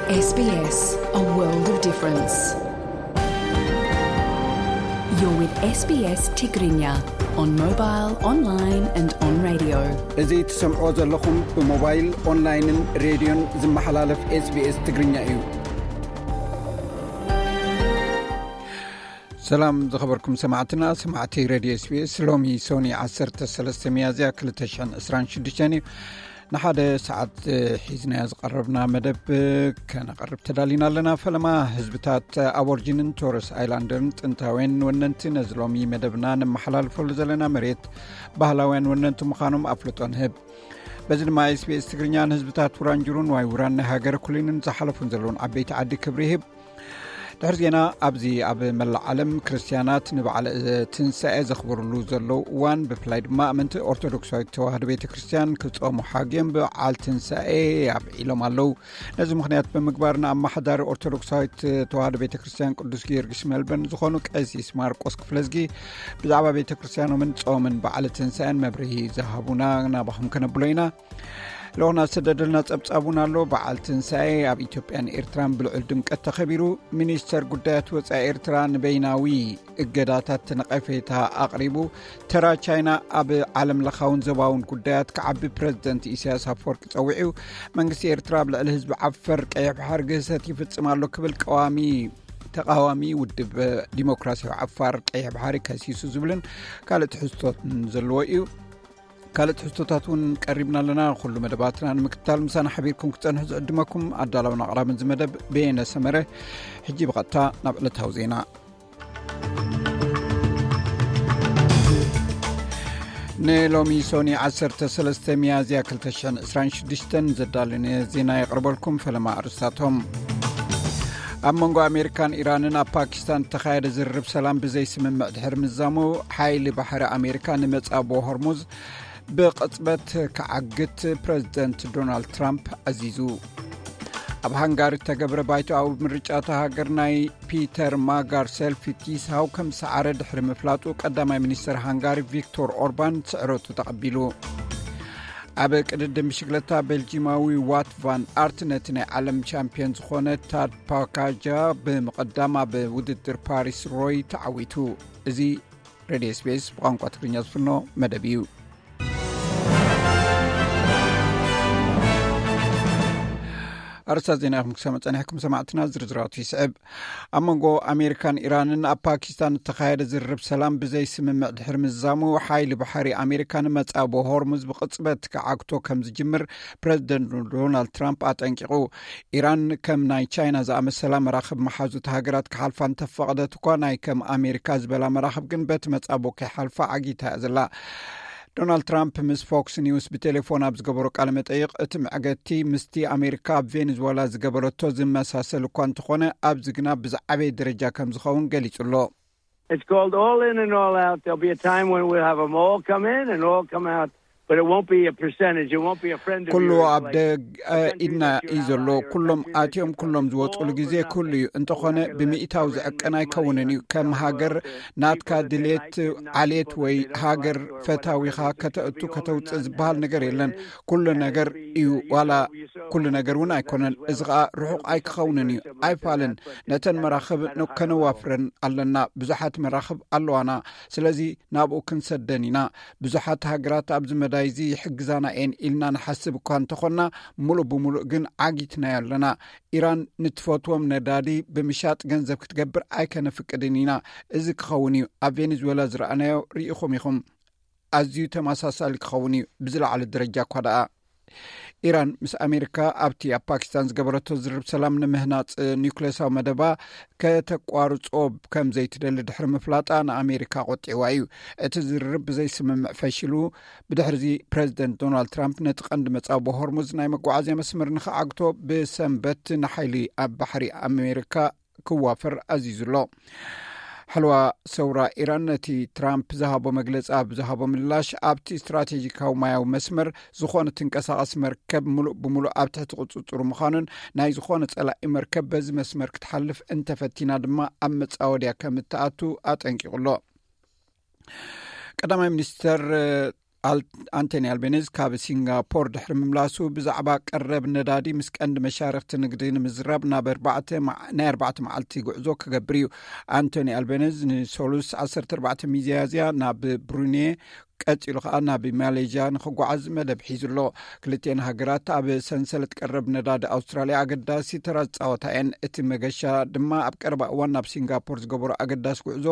S B S, a world of difference. You're with S B S Tigrinya on mobile, online and on radio. እዚ ትሰምዕዎ ዘለኹም ብሞባይል፣ ኦንላይንን ሬድዮን ዝመሓላለፍ S B S ትግርኛ እዩ። ሰላም ዝኸበርኩም ሰማዕትና፣ ሰማዕቲ ሬድዮ S B S። ሎሚ ሶኒ ዓሰርተ ሰለስተ ሚያዝያ ክልተ ሽሕን ዕስራን ሽዱሽተን እዩ። ንሓደ ሰዓት ሒዝናዮ ዝቐረብና መደብ ከነቐርብ ተዳሊና ኣለና። ፈለማ ህዝብታት ኣቦርጂንን ቶረስ ኣይላንደርን ጥንታውያን ወነንቲ ነዚ ሎሚ መደብና ነመሓላልፈሉ ዘለና መሬት ባህላውያን ወነንቲ ምዃኖም ኣፍልጦ ንህብ። በዚ ድማ S B S ትግርኛ ንህዝብታት ውራንጅሩን ዋይ ውራን ናይ ሃገረ ኩሊንን ዝሓለፉን ዘለውን ዓበይቲ ዓዲ ክብሪ ይህብ። ድሕሪ ዜና፣ ኣብዚ ኣብ መላእ ዓለም ክርስትያናት ንበዓል ትንሳኤ ዘኽብርሉ ዘለዉ እዋን፣ ብፍላይ ድማ ኣመንቲ ኦርቶዶክሳዊት ተዋህዶ ቤተ ክርስትያን ክጾሙ ሓግዮም በዓል ትንሳኤ ኣብዒሎም ኣለዉ። ነዚ ምኽንያት ብምግባር ንኣመሓዳሪ ኦርቶዶክሳዊት ተዋህዶ ቤተ ክርስትያን ቅዱስ ጊዮርጊስ ሜልበርን ዝኾኑ ቀሲስ ማርቆስ ክፍለዝጊ ብዛዕባ ቤተ ክርስትያኖምን ጾምን በዓል ትንሳኤን መብርሂ ዝሃቡና ናባኹም ከነብሎ ኢና። ልኡኽና ዝተደደልና ጸብጻብ እውን ኣሎ። በዓል ትንሳኤ ኣብ ኢትዮጵያን ኤርትራን ብልዑል ድምቀት ተኸቢሩ። ሚኒስተር ጉዳያት ወጻኢ ኤርትራ ንበይናዊ እገዳታት ነቐፌታ ኣቕሪቡ። ተራ ቻይና ኣብ ዓለም ለኻውን ዘባውን ጉዳያት ክዓቢ ፕረዚደንት ኢሳያስ ኣፈወርቂ ጸዊዑ። መንግስቲ ኤርትራ ኣብ ልዕሊ ህዝቢ ዓፈር ቀይሕ ባሕሪ ግህሰት ይፍጽም ኣሎ ክብል ቀዋሚ ተቃዋሚ ውድብ ዲሞክራሲያዊ ዓፋር ቀይሕ ባሕሪ ከሲሱ ዝብልን ካልእ ትሕዝቶትን ዘለዎ እዩ። ካልእ ትሕዝቶታት እውን ቀሪብና ኣለና። ኩሉ መደባትና ንምክትታል ምሳና ሓቢርኩም ክትጸንሑ ዝዕድመኩም ኣዳላውን ኣቕራብን እዚ መደብ በየነ ሰመረ። ሕጂ ብቐጥታ ናብ ዕለታዊ ዜና። ንሎሚ ሶኒ ዓሰርተ ሰለስተ ሚያዝያ ክልተ ሽሕን ዕስራን ሽዱሽተን ዘዳለነ ዜና የቕርበልኩም። ፈለማ ኣርስታቶም። ኣብ መንጎ ኣሜሪካን ኢራንን ኣብ ፓኪስታን እተኻየደ ዝርርብ ሰላም ብዘይስምምዕ ድሕሪ ምዛሙ፣ ሓይሊ ባሕሪ ኣሜሪካ ንመጻቦ ሆርሙዝ ብቕጽበት ክዓግት ፕረዚደንት ዶናልድ ትራምፕ ኣዚዙ። ኣብ ሃንጋሪ እተገብረ ባይቶኣዊ ምርጫ እታ ሃገር ናይ ፒተር ማጋር ሰልፊ ቲስሃው ከም ዝሰዓረ ድሕሪ ምፍላጡ፣ ቀዳማይ ሚኒስተር ሃንጋሪ ቪክቶር ኦርባን ስዕረቱ ተቐቢሉ። ኣብ ቅድድም ብሽግለታ ቤልጂማዊ ዋት ቫን ኣርት ነቲ ናይ ዓለም ቻምፒዮን ዝኾነ ታድ ፓካጃ ብምቕዳም ኣብ ውድድር ፓሪስ ሮይ ተዓዊቱ። እዚ ሬድዮ S B S ብቋንቋ ትግርኛ ዝፍኖ መደብ እዩ። ኣርእስታት ዜና ኢኹም ክሰምዑ ጸኒሕኩም ሰማዕትና፣ ዝርዝራቱ ይስዕብ። ኣብ መንጎ ኣሜሪካን ኢራንን ኣብ ፓኪስታን እተኻየደ ዝርርብ ሰላም ብዘይ ስምምዕ ድሕሪ ምዛሙ፣ ሓይሊ ባሕሪ ኣሜሪካ ንመጻቦ ሆርሙዝ ብቕጽበት ክዓግቶ ከም ዝጅምር ፕረዚደንት ዶናልድ ትራምፕ ኣጠንቂቑ። ኢራን ከም ናይ ቻይና ዝኣመሰላ መራኽብ መሓዙት ሃገራት ክሓልፋ እንተፈቐደት እኳ፣ ናይ ከም ኣሜሪካ ዝበላ መራኽብ ግን በቲ መጻቦ ከይሓልፋ ዓጊታ እያ ዘላ። ዶናልድ ትራምፕ ምስ ፎክስ ኒውስ ብቴሌፎን ኣብ ዝገበሮ ቃለ መጠይቕ፣ እቲ መዕገቲ ምስቲ ኣሜሪካ ኣብ ቬኔዙዌላ ዝገበረቶ ዝመሳሰል እኳ እንተኾነ፣ ኣብዚ ግና ብዝዓበየ ደረጃ ከም ዝኸውን ገሊጹ ኣሎ። It's called all in and all out. There'll be a time when we'll have them all come in and all come out, but it won't be a percentage. It won't be a friend of ኩሉ yours, ኣብ like ደገ ኢድና እዩ ዘሎ። ኩሎም ኣትዮም ኩሎም ዝወፅሉ ግዜ ኩሉ እዩ። እንተኾነ፣ ብሚእታው ዝዕቀን ኣይከውንን እዩ። ከም ሃገር ናትካ ድሌት ዓሌት ወይ ሃገር ፈታዊኻ ከተእቱ ከተውፅእ ዝበሃል ነገር የለን። ኩሉ ነገር እዩ፣ ዋላ ኩሉ ነገር እውን ኣይኮነን። እዚ ኸኣ ርሑቕ ኣይክኸውንን እዩ። ኣይፋልን። ነተን መራኽብ ን-፣ ከነዋፍረን ኣለና። ብዙሓት መራኽብ ኣለዋና። ስለዚ ናብኡ ክንሰደን ኢና። ብዙሓት ሃገራት ኣብዚ መዳይ እዚ ይሕግዛና እየን ኢልና ንሓስብ እኳ እንተኾንና፣ ሙሉእ ብሙሉእ ግን ዓጊትናዮ ኣለና። ኢራን ንትፈትዎም ነዳዲ ብምሻጥ ገንዘብ ክትገብር ኣይከነፍቅድን ኢና። እዚ ክኸውን እዩ። ኣብ ቬኔዙዌላ ዝረኣናዮ ርኢኹም ኢኹም። ኣዝዩ ተመሳሳሊ ክኸውን እዩ፣ ብዝለዓለ ደረጃ እኳ ደኣ። ኢራን ምስ ኣሜሪካ ኣብቲ ኣብ ፓኪስታን ዝገበረቶ ዝርርብ ሰላም ንምህናጽ ኒውክሌሳዊ መደባ ከተቋርጾ ከም ዘይትደሊ ድሕሪ ምፍላጣ ንኣሜሪካ ቆጢዕዋ እዩ። እቲ ዝርርብ ብዘይስምምዕ ፈሺሉ። ብድሕሪዚ ፕረዚደንት ዶናልድ ትራምፕ ነቲ ቀንዲ መጻቦ ሆርሙዝ ናይ መጓዓዝያ መስመር ንኽዓግቶ ብሰንበት ንሓይሊ ኣብ ባሕሪ ኣሜሪካ ክዋፈር ኣዚዙ ኣሎ። ሓለዋ ሰውራ ኢራን ነቲ ትራምፕ ዝሃቦ መግለጺ ኣብ ዝሃቦ ምላሽ፣ ኣብቲ ስትራቴጂካዊ ማያዊ መስመር ዝኾነ ትንቀሳቐስ መርከብ ምሉእ ብምሉእ ኣብ ትሕቲ ቁጽጽሩ ምዃኑን፣ ናይ ዝኾነ ጸላኢ መርከብ በዚ መስመር ክትሓልፍ እንተፈቲና ድማ ኣብ መጻወድያ ከም እትኣቱ ኣጠንቂቑ ኣሎ። ቀዳማይ ሚኒስተር ኣንቶኒ ኣልቤኒዝ ካብ ሲንጋፖር ድሕሪ ምምላሱ፣ ብዛዕባ ቀረብ ነዳዲ ምስ ቀንዲ መሻርክቲ ንግዲ ንምዝራብ ናብ ኣርባዕተ መዓ- ናይ ኣርባዕተ መዓልቲ ጉዕዞ ክገብር እዩ። ኣንቶኒ ኣልቤኒዝ ንሰሉስ ዓሰርተ ኣርባዕተ ሚያዝያ ናብ ብሩኔ፣ ቀጺሉ ከኣ ናብ ማሌዥያ ንኽጓዓዝ መደብ ሒዙ ኣሎ። ክልቲኤን ሃገራት ኣብ ሰንሰለት ቀረብ ነዳዲ ኣውስትራልያ ኣገዳሲ ተራ ዝጻወታ እየን። እቲ መገሻ ድማ ኣብ ቀረባ እዋን ናብ ሲንጋፖር ዝገበሮ ኣገዳሲ ጉዕዞ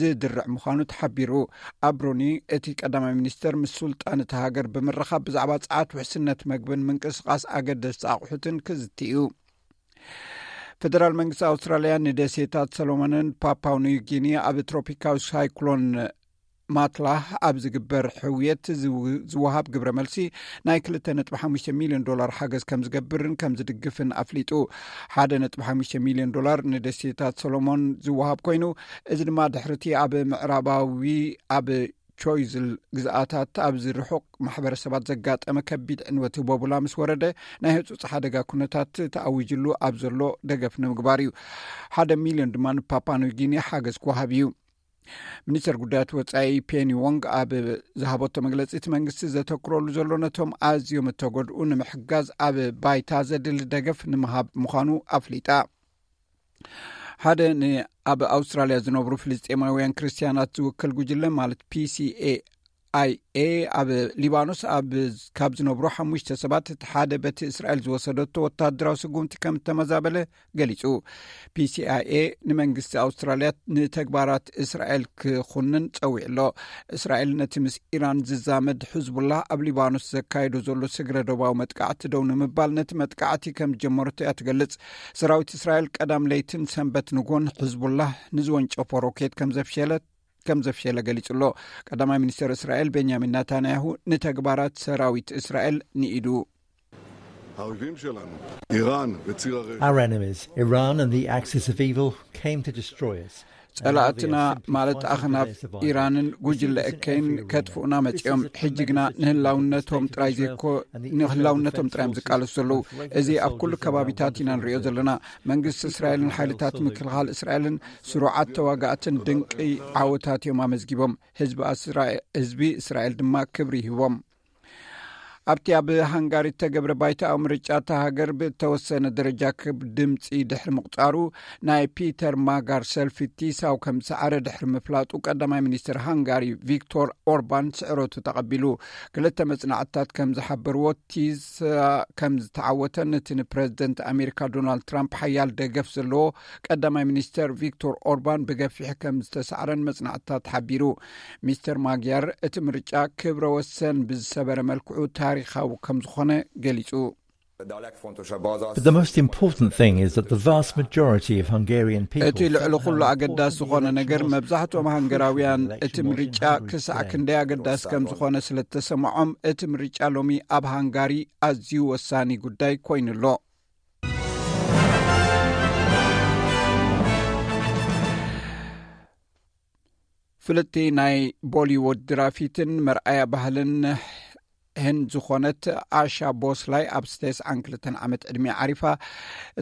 ዝድርዕ ምዃኑ ተሓቢሩ። ኣብ ብሩኒ እቲ ቀዳማይ ሚኒስተር ምስ ሱልጣን እቲ ሃገር ብምርኻብ ብዛዕባ ጸዓት፣ ውሕስነት መግብን ምንቅስቓስ ኣገደስቲ ኣቑሑትን ክዝቲ እዩ። ፌደራል መንግስቲ ኣውስትራልያ ንደሴታት ሰሎሞንን ፓፓው ኒው ጊኒ ኣብ ትሮፒካዊ ሳይክሎን ማትላ ኣብ ዝግበር ሕውየት ዝው- ዝወሃብ ግብረ መልሲ ናይ ክልተ ነጥቢ ሓሙሽተ ሚልዮን ዶላር ሓገዝ ከም ዝገብርን ከም ዝድግፍን ኣፍሊጡ። ሓደ ነጥቢ ሓሙሽተ ሚልዮን ዶላር ንደሴታት ሰሎሞን ዝወሃብ ኮይኑ፣ እዚ ድማ ድሕርቲ ኣብ ምዕራባዊ ኣብ ቾይዝል ግዝኣታት ኣብዚ ርሑቕ ማሕበረሰባት ዘጋጠመ ከቢድ ዕንወት ህቦቡላ ምስ ወረደ፣ ናይ ህጹጽ ሓደጋ ኩነታት ተኣዊጅሉ ኣብ ዘሎ ደገፍ ንምግባር እዩ። ሓደ ሚልዮን ድማ ንፓፓ ኒውጊኒ ሓገዝ ክወሃብ እዩ። ሚኒስተር ጉዳያት ወጻኢ ፔኒ ዎንግ ኣብ ዝሃበቶ መግለጺ፣ እቲ መንግስቲ ዘተኩረሉ ዘሎ ነቶም ኣዝዮም እተጎድኡ ንምሕጋዝ ኣብ ባይታ ዘድሊ ደገፍ ንምሃብ ምዃኑ ኣፍሊጣ። ሓደ ን- ኣብ ኣውስትራልያ ዝነብሩ ፍልስጤማውያን ክርስትያናት ዝውክል ጉጅለ፣ ማለት ፒሲኤኣይኤ፣ ኣብ ሊባኖስ ኣብ ካብ ዝነብሩ ሓሙሽተ ሰባት እቲ ሓደ በቲ እስራኤል ዝወሰደቶ ወታደራዊ ስጉምቲ ከም እተመዛበለ ገሊጹ። ፒሲኣይኤ ንመንግስቲ ኣውስትራልያ ንተግባራት እስራኤል ክኹንን ጸዊዑ ኣሎ። እስራኤል ነቲ ምስ ኢራን ዝዛመድ ሕዝቡላህ ኣብ ሊባኖስ ዘካየዶ ዘሎ ስግረ ዶባዊ መጥቃዕቲ ደው ንምባል ነቲ መጥቃዕቲ ከም ዝጀመረቶ እያ ትገልጽ። ሰራዊት እስራኤል ቀዳም ለይትን ሰንበት ንጎን ሕዝቡላህ ንዝወንጨፎ ሮኬት ከም ዘፍሸለ ከም ዘፍሸለ ገሊጹ ኣሎ። ቀዳማይ ሚኒስተር እስራኤል ቤንያሚን ናታንያሁ ንተግባራት ሰራዊት እስራኤል ንኢዱ። האויבים שלנו, איראן וציר הרשע. Our enemies, Iran and the Axis of Evil, came to destroy us. ጸላእትና ማለት ኣኽናፍ ኢራንን ጉጅለ እከይን ከጥፍኡና መጺኦም። ሕጂ ግና ንህላውነቶም ጥራይ ዘይኮ ንህላውነቶም ጥራይ እዮም ዝቃለሱ ዘለዉ። እዚ ኣብ ኩሉ ከባቢታት ኢና ንሪኦ ዘለና። መንግስቲ እስራኤልን ሓይልታት ምክልኻል እስራኤልን ስሩዓት ተዋጋእትን ድንቂ ዓወታት እዮም ኣመዝጊቦም። ህዝቢ ኣስራ- ህዝቢ እስራኤል ድማ ክብሪ ይህቦም። ኣብቲ ኣብ ሃንጋሪ እተገብረ ባይታዊ ምርጫ እታ ሃገር ብእተወሰነ ደረጃ ክብ ድምፂ ድሕሪ ምቑፃሩ፣ ናይ ፒተር ማጋር ሰልፊ ቲሳው ከም ዝሰዓረ ድሕሪ ምፍላጡ፣ ቀዳማይ ሚኒስትር ሃንጋሪ ቪክቶር ኦርባን ስዕረቱ ተቐቢሉ። ክልተ መፅናዕትታት ከም ዝሓበርዎ፣ ቲሳ ከም ዝተዓወተን እቲ ንፕረዚደንት ኣሜሪካ ዶናልድ ትራምፕ ሓያል ደገፍ ዘለዎ ቀዳማይ ሚኒስተር ቪክቶር ኦርባን ብገፊሕ ከም ዝተሳዕረን መጽናዕትታት ሓቢሩ። ሚስተር ማግያር እቲ ምርጫ ክብረ ወሰን ብዝሰበረ መልክዑ ታሪኻዊ ከም ዝኾነ ገሊጹ። But the most important thing is that the vast majority of Hungarian people እቲ ልዕሊ ኩሉ ኣገዳሲ ዝኾነ ነገር፣ መብዛሕትኦም ሃንገራውያን እቲ ምርጫ ክሳዕ ክንደይ ኣገዳሲ ከም ዝኾነ ስለ እተሰምዖም፣ እቲ ምርጫ ሎሚ ኣብ ሃንጋሪ ኣዝዩ ወሳኒ ጉዳይ ኮይኑ ኣሎ። ፍልጥቲ ናይ ቦሊውድ ድራፊትን መርኣያ ባህልን ህንድ ዝኾነት ኣሻ ቦስላይ ኣብ ተስዓን ክልተን ዓመት ዕድሚኣ ዓሪፋ።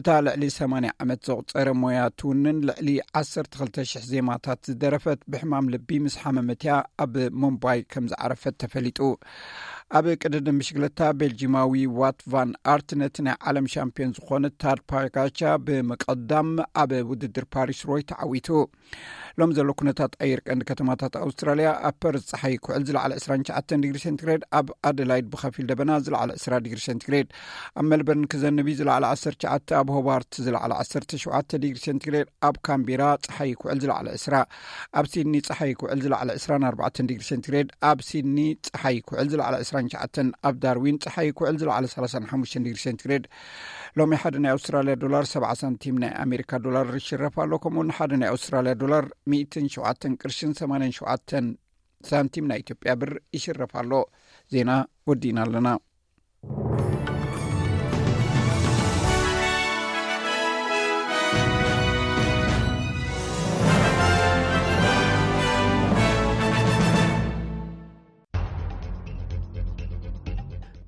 እታ ልዕሊ ሰማንያ ዓመት ዘቑጸረ ሞያ ትውንን ልዕሊ ዓሰርተ ክልተ ሽሕ ዜማታት ዝደረፈት፣ ብሕማም ልቢ ምስ ሓመመት እያ ኣብ ሙምባይ ከም ዝዓረፈት ተፈሊጡ። ኣብ ቅድድም ብሽግለታ፣ ቤልጂማዊ ዋት ቫን ኣርት ነቲ ናይ ዓለም ሻምፒዮን ዝኾነ ታድ ፓጋቻ ብምቕዳም ኣብ ውድድር ፓሪስ ሮይ ተዓዊቱ። ሎም ዘሎ ኩነታት ኣየር ቀንዲ ከተማታት ኣውስትራልያ፣ ኣብ ፐርዝ ጸሓይ ክውዕል ዝለዓለ ዕስራን ትሽዓተን ዲግሪ ሴንቲግሬድ፣ ኣብ ኣደላይድ ብኸፊል ደበና ዝለዓለ ዕስራ ዲግሪ ሴንቲግሬድ፣ ኣብ ሜልበርን ክዘንብ እዩ ዝለዓለ ዓሰርተ ትሽዓተ፣ ኣብ ሆባርት ዝለዓለ ዓሰርተ ሸውዓተ ዲግሪ ሴንቲግሬድ፣ ኣብ ካምቤራ ጸሓይ ክውዕል ዝለዓለ ዕስራ፣ ኣብ ሲድኒ ጸሓይ ክውዕል ዝለዓለ ዕስራን ኣርባዕተን ዲግሪ ሴንቲግሬድ፣ ኣብ ሲድኒ ጸሓይ ክውዕል ዝለዓለ ዕስራን ትሽዓተን፣ ኣብ ዳርዊን ጸሓይ ክውዕል ዝለዓለ ሰላሳን ሓሙሽተን ዲግሪ ሴንቲግሬድ። ሎሚ ሓደ ናይ ኣውስትራልያ ዶላር ሰብዓ ሳንቲም ናይ ኣሜሪካ ዶላር ይሽረፍ ኣሎ። ከምኡ እውን ሓደ ናይ ኣውስትራልያ ዶላር ሚእትን ሸውዓተን ቅርሽን ሰማንያን ሸውዓተን ሳንቲም ናይ ኢትዮጵያ ብር ይሽረፍ ኣሎ። ዜና ወዲእና ኣለና።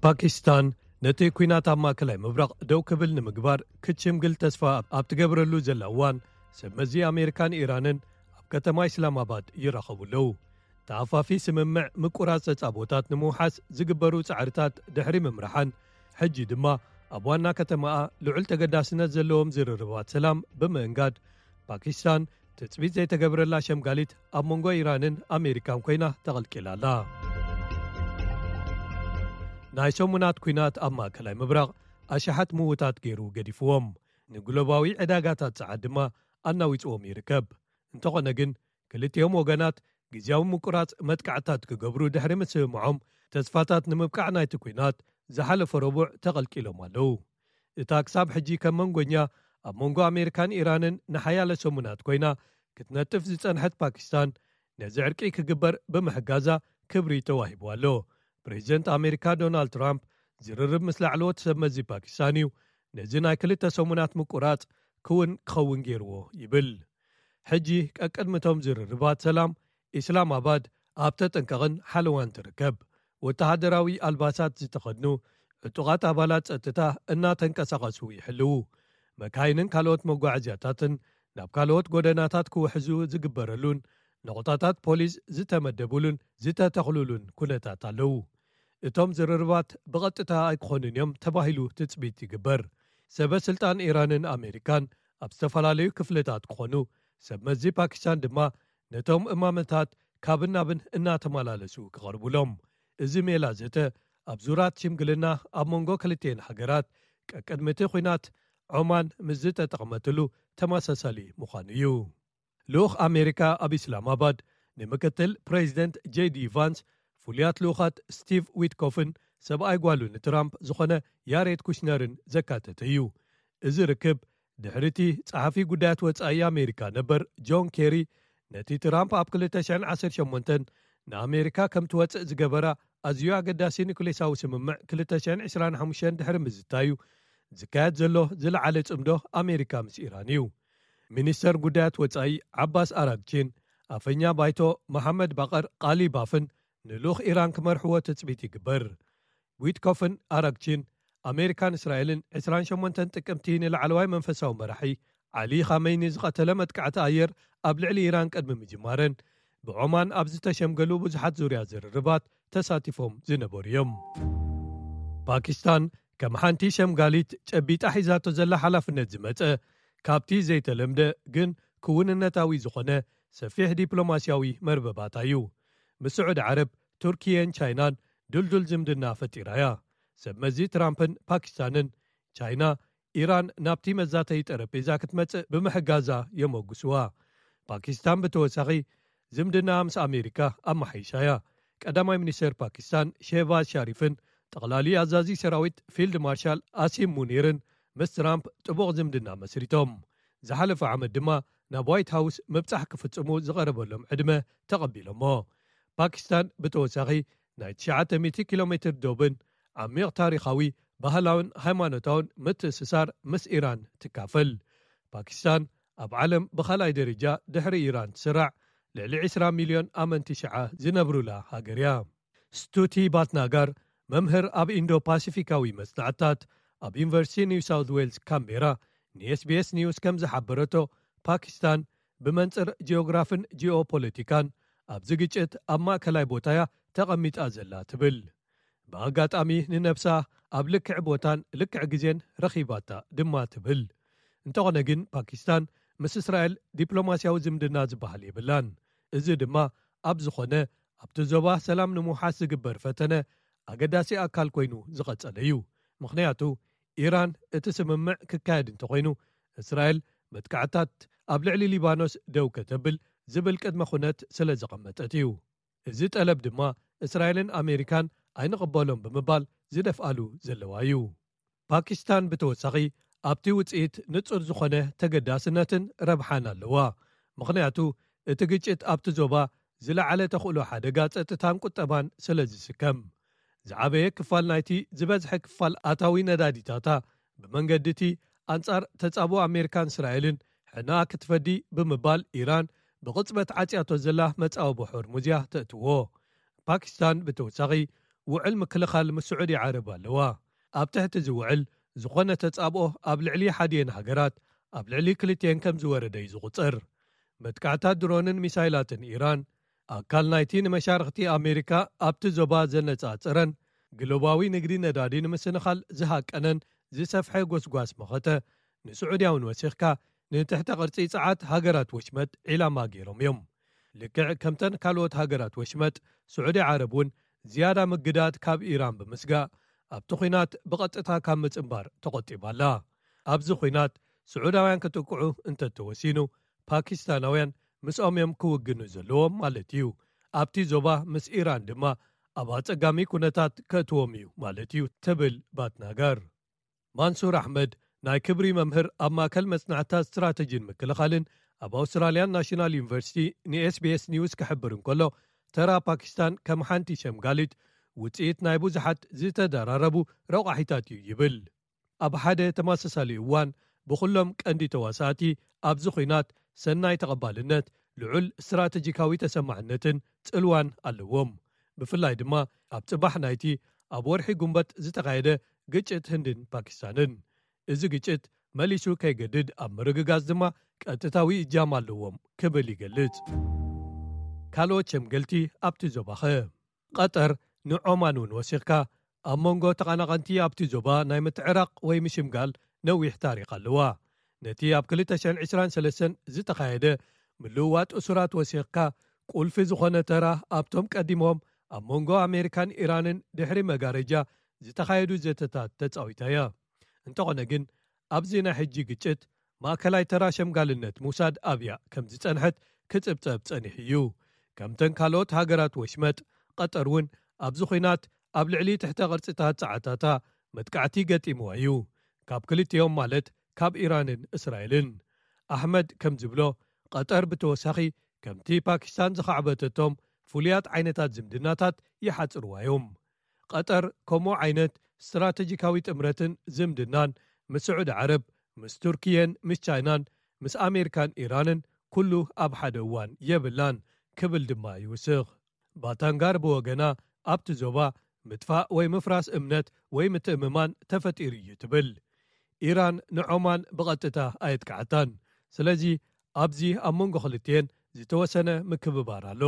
ፓኪስታን ነቲ ኲናት ኣብ ማእከላይ ምብራቕ ደው ክብል ንምግባር ክትሽምግል ተስፋ ኣብ ትገብረሉ ዘላ እዋን፣ ሰብ መዚ ኣሜሪካን ኢራንን ኣብ ከተማ ኢስላማባድ ይራኸቡ ኣለዉ። ተኣፋፊ ስምምዕ ምቁራጽ ጸጻቦታት ንምውሓስ ዝግበሩ ጻዕርታት ድሕሪ ምምርሓን፣ ሕጂ ድማ ኣብ ዋና ከተማኣ ልዑል ተገዳስነት ዘለዎም ዝርርባት ሰላም ብምእንጋድ፣ ፓኪስታን ትጽቢት ዘይተገብረላ ሸምጋሊት ኣብ መንጎ ኢራንን ኣሜሪካን ኮይና ተቐልቂላ ኣላ። ናይ ሰሙናት ኲናት ኣብ ማእከላይ ምብራቕ ኣሽሓት ምዉታት ገይሩ ገዲፍዎም፣ ንግሎባዊ ዕዳጋታት ጸዓት ድማ ኣናዊጽዎም ይርከብ። እንተኾነ ግን፣ ክልቲኦም ወገናት ግዝያዊ ምቁራጽ መጥቃዕታት ክገብሩ ድሕሪ ምስምምዖም፣ ተስፋታት ንምብቃዕ ናይቲ ኲናት ዝሓለፈ ረቡዕ ተቐልቂሎም ኣለዉ። እታ ክሳብ ሕጂ ከም መንጎኛ ኣብ መንጎ ኣሜሪካን ኢራንን ንሓያለ ሰሙናት ኮይና ክትነጥፍ ዝጸንሐት ፓኪስታን፣ ነዚ ዕርቂ ክግበር ብምሕጋዛ ክብሪ ተዋሂቡ ኣሎ። ፕሬዚደንት ኣሜሪካ ዶናልድ ትራምፕ ዝርርብ ምስ ላዕለዎት ሰብ መዚ ፓኪስታን እዩ ነዚ ናይ ክልተ ሰሙናት ምቁራጽ ክውን ክኸውን ገይርዎ ይብል። ሕጂ ቀቅድሚ እቶም ዝርርባት ሰላም፣ ኢስላማባድ ኣብ ተጠንቀቕን ሓለዋን ትርከብ። ወተሃደራዊ ኣልባሳት ዝተኸድኑ ዕጡቓት ኣባላት ጸጥታ እናተንቀሳቐሱ ይሕልዉ። መካይንን ካልኦት መጓዓዝያታትን ናብ ካልኦት ጎደናታት ክውሕዙ ዝግበረሉን ነቑጣታት ፖሊስ ዝተመደቡሉን ዝተተኽሉሉን ኩነታት ኣለዉ። እቶም ዝርርባት ብቐጥታ ኣይክኾኑን እዮም ተባሂሉ ትጽቢት ይግበር። ሰበ ስልጣን ኢራንን ኣሜሪካን ኣብ ዝተፈላለዩ ክፍልታት ክኾኑ፣ ሰብ መዚ ፓኪስታን ድማ ነቶም እማመታት ካብን ናብን እናተመላለሱ ክቐርቡሎም። እዚ ሜላ ዘተ ኣብ ዙራት ሽምግልና ኣብ መንጎ ክልቲኤን ሃገራት ቀቅድሚ እቲ ኲናት ዖማን ምስ ዝተጠቕመትሉ ተመሳሳሊ ምዃኑ እዩ። ልኡኽ ኣሜሪካ ኣብ ኢስላማባድ ንምክትል ፕሬዚደንት ጄዲ ቫንስ፣ ፍሉያት ልኡኻት ስቲቭ ዊትኮፍን ሰብኣይ ጓሉ ንትራምፕ ዝኾነ ያሬድ ኩሽነርን ዘካተተ እዩ። እዚ ርክብ ድሕሪ እቲ ጸሓፊ ጉዳያት ወጻኢ ኣሜሪካ ነበር ጆን ኬሪ ነቲ ትራምፕ ኣብ ክልተ ሽሕን ዓሰርተ ሸሞንተን ንኣሜሪካ ከም ትወጽእ ዝገበራ ኣዝዩ ኣገዳሲ ኒኩሌሳዊ ስምምዕ ክልተ ሽሕን ዕስራን ሓሙሽተን ድሕሪ ምዝታዩ ዝካየድ ዘሎ ዝለዓለ ጽምዶ ኣሜሪካ ምስ ኢራን እዩ። ሚኒስተር ጉዳያት ወጻኢ ዓባስ ኣራግቺን ኣፈኛ ባይቶ መሓመድ ባቐር ቃሊባፍን ንልኡኽ ኢራን ክመርሕዎ ትጽቢት ይግበር። ዊትኮፍን ኣራግቺን ኣሜሪካን እስራኤልን ዕስራን ሸሞንተን ጥቅምቲ ንላዕለዋይ መንፈሳዊ መራሒ ዓሊ ኻመይኒ ዝቐተለ መጥቃዕቲ ኣየር ኣብ ልዕሊ ኢራን ቅድሚ ምጅማረን ብዖማን ኣብ ዝተሸምገሉ ብዙሓት ዙርያ ዝርርባት ተሳቲፎም ዝነበሩ እዮም። ፓኪስታን ከም ሓንቲ ሸምጋሊት ጨቢጣ ሒዛቶ ዘላ ሓላፍነት ዝመጸ ካብቲ ዘይተለምደ ግን ክውንነታዊ ዝኾነ ሰፊሕ ዲፕሎማስያዊ መርበባታ እዩ። ምስ ስዑዲ ዓረብ፣ ቱርኪየን ቻይናን ድልዱል ዝምድና ፈጢራ እያ። ሰብ መዚ ትራምፕን ፓኪስታንን፣ ቻይና ኢራን ናብቲ መዛተዪ ጠረጴዛ ክትመጽእ ብምሕጋዛ የመጉስዋ። ፓኪስታን ብተወሳኺ ዝምድና ምስ ኣሜሪካ ኣመሓይሻ እያ። ቀዳማይ ሚኒስተር ፓኪስታን ሼህባዝ ሻሪፍን ጠቕላሊ ኣዛዚ ሰራዊት ፊልድ ማርሻል ኣሲም ሙኒርን ምስ ትራምፕ ጥቡቕ ዝምድና መስሪቶም። ዝሓለፈ ዓመት ድማ ናብ ዋይት ሃውስ ምብጻሕ ክፍጽሙ ዝቐረበሎም ዕድመ ተቐቢሎሞ። ፓኪስታን ብተወሳኺ ናይ ትሽዓተ ሚእቲ ኪሎ ሜትር ዶብን ዓሚቕ ታሪኻዊ፣ ባህላውን ሃይማኖታውን ምትእስሳር ምስ ኢራን ትካፈል። ፓኪስታን ኣብ ዓለም ብኻልኣይ ደረጃ ድሕሪ ኢራን ትስራዕ ልዕሊ ዕስራ ሚልዮን ኣመንቲ ሽዓ ዝነብሩላ ሃገር እያ። ስቱቲ ባትናጋር፣ መምህር ኣብ ኢንዶ ፓሲፊካዊ መጽናዕትታት ኣብ ዩኒቨርሲቲ ኒው ሳውት ዌልስ ካምቤራ፣ ንኤስቢኤስ ኒውስ ከም ዝሓበረቶ፣ ፓኪስታን ብመንጽር ጂኦግራፍን ጂኦፖለቲካን ኣብዚ ግጭት ኣብ ማእከላይ ቦታ እያ ተቐሚጣ ዘላ ትብል። ብኣጋጣሚ ንነብሳ ኣብ ልክዕ ቦታን ልክዕ ግዜን ረኺባታ ድማ ትብል። እንተኾነ ግን ፓኪስታን ምስ እስራኤል ዲፕሎማስያዊ ዝምድና ዝበሃል የብላን። እዚ ድማ ኣብ ዝኾነ ኣብቲ ዞባ ሰላም ንምውሓስ ዝግበር ፈተነ ኣገዳሲ ኣካል ኮይኑ ዝቐጸለ እዩ። ምኽንያቱ ኢራን እቲ ስምምዕ ክካየድ እንተኾይኑ እስራኤል መጥቃዕታት ኣብ ልዕሊ ሊባኖስ ደው ከተብል ዝብል ቅድመ ኩነት ስለ ዘቐመጠት እዩ። እዚ ጠለብ ድማ እስራኤልን ኣሜሪካን ኣይንቕበሎን ብምባል ዝደፍኣሉ ዘለዋ እዩ። ፓኪስታን ብተወሳኺ ኣብቲ ውጽኢት ንጹር ዝኾነ ተገዳስነትን ረብሓን ኣለዋ። ምኽንያቱ እቲ ግጭት ኣብቲ ዞባ ዝለዓለ ተኽእሎ ሓደጋ ጸጥታን ቁጠባን ስለ ዝስከም። ዝዓበየ ክፋል ናይቲ ዝበዝሐ ክፋል ኣታዊ ነዳዲታታ ብመንገዲ እቲ ኣንጻር ተጻብኦ ኣሜሪካን እስራኤልን ሕነኣ ክትፈዲ ብምባል ኢራን ብቕጽበት ዓጽያቶ ዘላ መጻወቦ ሆርሙዝ እያ ተእትዎ። ፓኪስታን ብተወሳኺ ውዕል ምክልኻል ምስ ስዑዲ ዓረብ ኣለዋ። ኣብ ትሕቲ እዚ ውዕል ዝኾነ ተጻብኦ ኣብ ልዕሊ ሓዲኤን ሃገራት ኣብ ልዕሊ ክልቲኤን ከም ዝወረደ እዩ ዝቑጸር። መጥቃዕታት ድሮንን ሚሳይላትን ኢራን ኣካል ናይቲ ንመሻርኽቲ ኣሜሪካ ኣብቲ ዞባ ዘነጻጸረን ግሎባዊ ንግዲ ነዳዲ ንምስንኻል ዝሃቀነን ዝሰፍሐ ጎስጓስ መኸተ፣ ንስዑድያውን ወሲኽካ ንትሕተ ቅርጺ ጸዓት ሃገራት ወሽመጥ ዒላማ ገይሮም እዮም። ልክዕ ከምተን ካልኦት ሃገራት ወሽመጥ፣ ስዑዲ ዓረብ እውን ዝያዳ ምግዳት ካብ ኢራን ብምስጋእ ኣብቲ ኲናት ብቐጥታ ካብ ምጽንባር ተቖጢባ ኣላ። ኣብዚ ኲናት ስዑዳውያን ክጥቅዑ እንተተወሲኑ፣ ፓኪስታናውያን ምስኦም እዮም ክውግኑ ዘለዎም ማለት እዩ። ኣብቲ ዞባ ምስ ኢራን ድማ ኣብ ኣጸጋሚ ኩነታት ከእትዎም እዩ ማለት እዩ፣ ትብል ባትናጋር። ማንሱር ኣሕመድ ናይ ክብሪ መምህር ኣብ ማእከል መጽናዕትታት ስትራተጂን ምክልኻልን ኣብ ኣውስትራልያን ናሽናል ዩኒቨርሲቲ ንኤስቢኤስ ኒውስ ክሕብር እንከሎ፣ ተራ ፓኪስታን ከም ሓንቲ ሸምጋሊት ውጽኢት ናይ ብዙሓት ዝተደራረቡ ረቋሒታት እዩ ይብል። ኣብ ሓደ ተመሳሳሊ እዋን ብኹሎም ቀንዲ ተዋሳእቲ ኣብዚ ኹናት ሰናይ ተቐባልነት፣ ልዑል ስትራተጂካዊ ተሰማዕነትን ጽልዋን ኣለዎም። ብፍላይ ድማ ኣብ ጽባሕ ናይቲ ኣብ ወርሒ ጉንበት ዝተኻየደ ግጭት ህንድን ፓኪስታንን። እዚ ግጭት መሊሱ ከይገድድ ኣብ ምርግጋጽ ድማ ቀጥታዊ እጃም ኣለዎም ክብል ይገልጽ። ካልኦት ሸምገልቲ ኣብቲ ዞባኸ? ቀጠር ንዖማን እውን ወሲኽካ ኣብ መንጎ ተቐናቐንቲ ኣብቲ ዞባ ናይ ምትዕራቕ ወይ ምሽምጋል ነዊሕ ታሪኽ ኣለዋ። ነቲ ኣብ ክልተ ሽሕን ዕስራን ሰለስተን ዝተኻየደ ምልውዋጥ እሱራት ወሲኽካ ቁልፊ ዝኾነ ተራ ኣብቶም ቀዲሞም ኣብ መንጎ ኣሜሪካን ኢራንን ድሕሪ መጋረጃ ዝተኻየዱ ዘተታት ተጻዊታ እያ። እንተኾነ ግን ኣብዚ ናይ ሕጂ ግጭት ማእከላይ ተራ ሸምጋልነት ምውሳድ ኣብያ ከም ዝጸንሐት ክጽብጸብ ጸኒሑ እዩ። ከምተን ካልኦት ሃገራት ወሽመጥ፣ ቀጠር እውን ኣብዚ ኹናት ኣብ ልዕሊ ትሕተ ቅርጽታት ጸዓታታ መጥቃዕቲ ገጢምዋ እዩ፣ ካብ ክልቲኦም ማለት ካብ ኢራንን እስራኤልን። ኣሕመድ ከም ዝብሎ፣ ቀጠር ብተወሳኺ ከምቲ ፓኪስታን ዝኻዕበተቶም ፍሉያት ዓይነታት ዝምድናታት ይሓጽርዋ እዮም። ቀጠር ከምኡ ዓይነት ስትራተጂካዊ ጥምረትን ዝምድናን ምስ ስዑዲ ዓረብ፣ ምስ ቱርክየን ምስ ቻይናን ምስ ኣሜሪካን ኢራንን ኩሉ ኣብ ሓደ እዋን የብላን ክብል ድማ ይውስኽ። ባታንጋር ብወገና ኣብቲ ዞባ ምጥፋእ ወይ ምፍራስ እምነት ወይ ምትእምማን ተፈጢሩ እዩ ትብል። ኢራን ንዖማን ብቐጥታ ኣየጥቅዓታን። ስለዚ ኣብዚ ኣብ መንጎ ክልቲኤን ዝተወሰነ ምክብባር ኣሎ።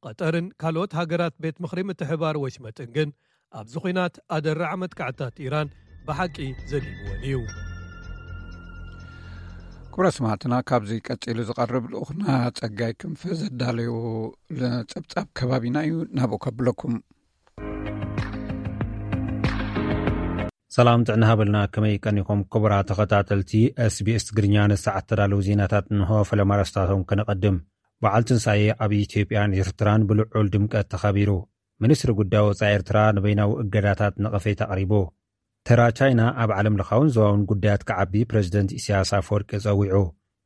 ቀጠርን ካልኦት ሃገራት ቤት ምኽሪ ምትሕባር ወሽመጥን ግን ኣብዚ ኹናት ኣደራዕ መጥቃዕታት ኢራን ብሓቂ ዘሊምወን እዩ። ክቡራት ሰማዕትና፣ ካብዚ ቀጺሉ ዝቐርብ ልኡኽና ጸጋይ ክንፈ ዘዳለዩ ጸብጻብ ከባቢና እዩ ናብኡ ከብለኩም። ሰላም ጥዕና ሃበልና፣ ከመይ ቀኒኹም ክቡራት ተኸታተልቲ ኤስቢኤስ ትግርኛ? ንሰዓት ተዳለዉ ዜናታት እንሆ፣ ፈለማ ኣርእስታቶም ከነቐድም። በዓል ትንሳኤ ኣብ ኢትዮጵያን ኤርትራን ብልዑል ድምቀት ተኸቢሩ። ሚኒስትሪ ጉዳይ ወጻኢ ኤርትራ ንበይናዊ እገዳታት ነቐፌታ ኣቕሪቡ። ተራ ቻይና ኣብ ዓለም ለኻውን ዞባውን ጉዳያት ክዓቢ ፕረዚደንት ኢሳያስ ኣፈወርቂ ጸዊዑ።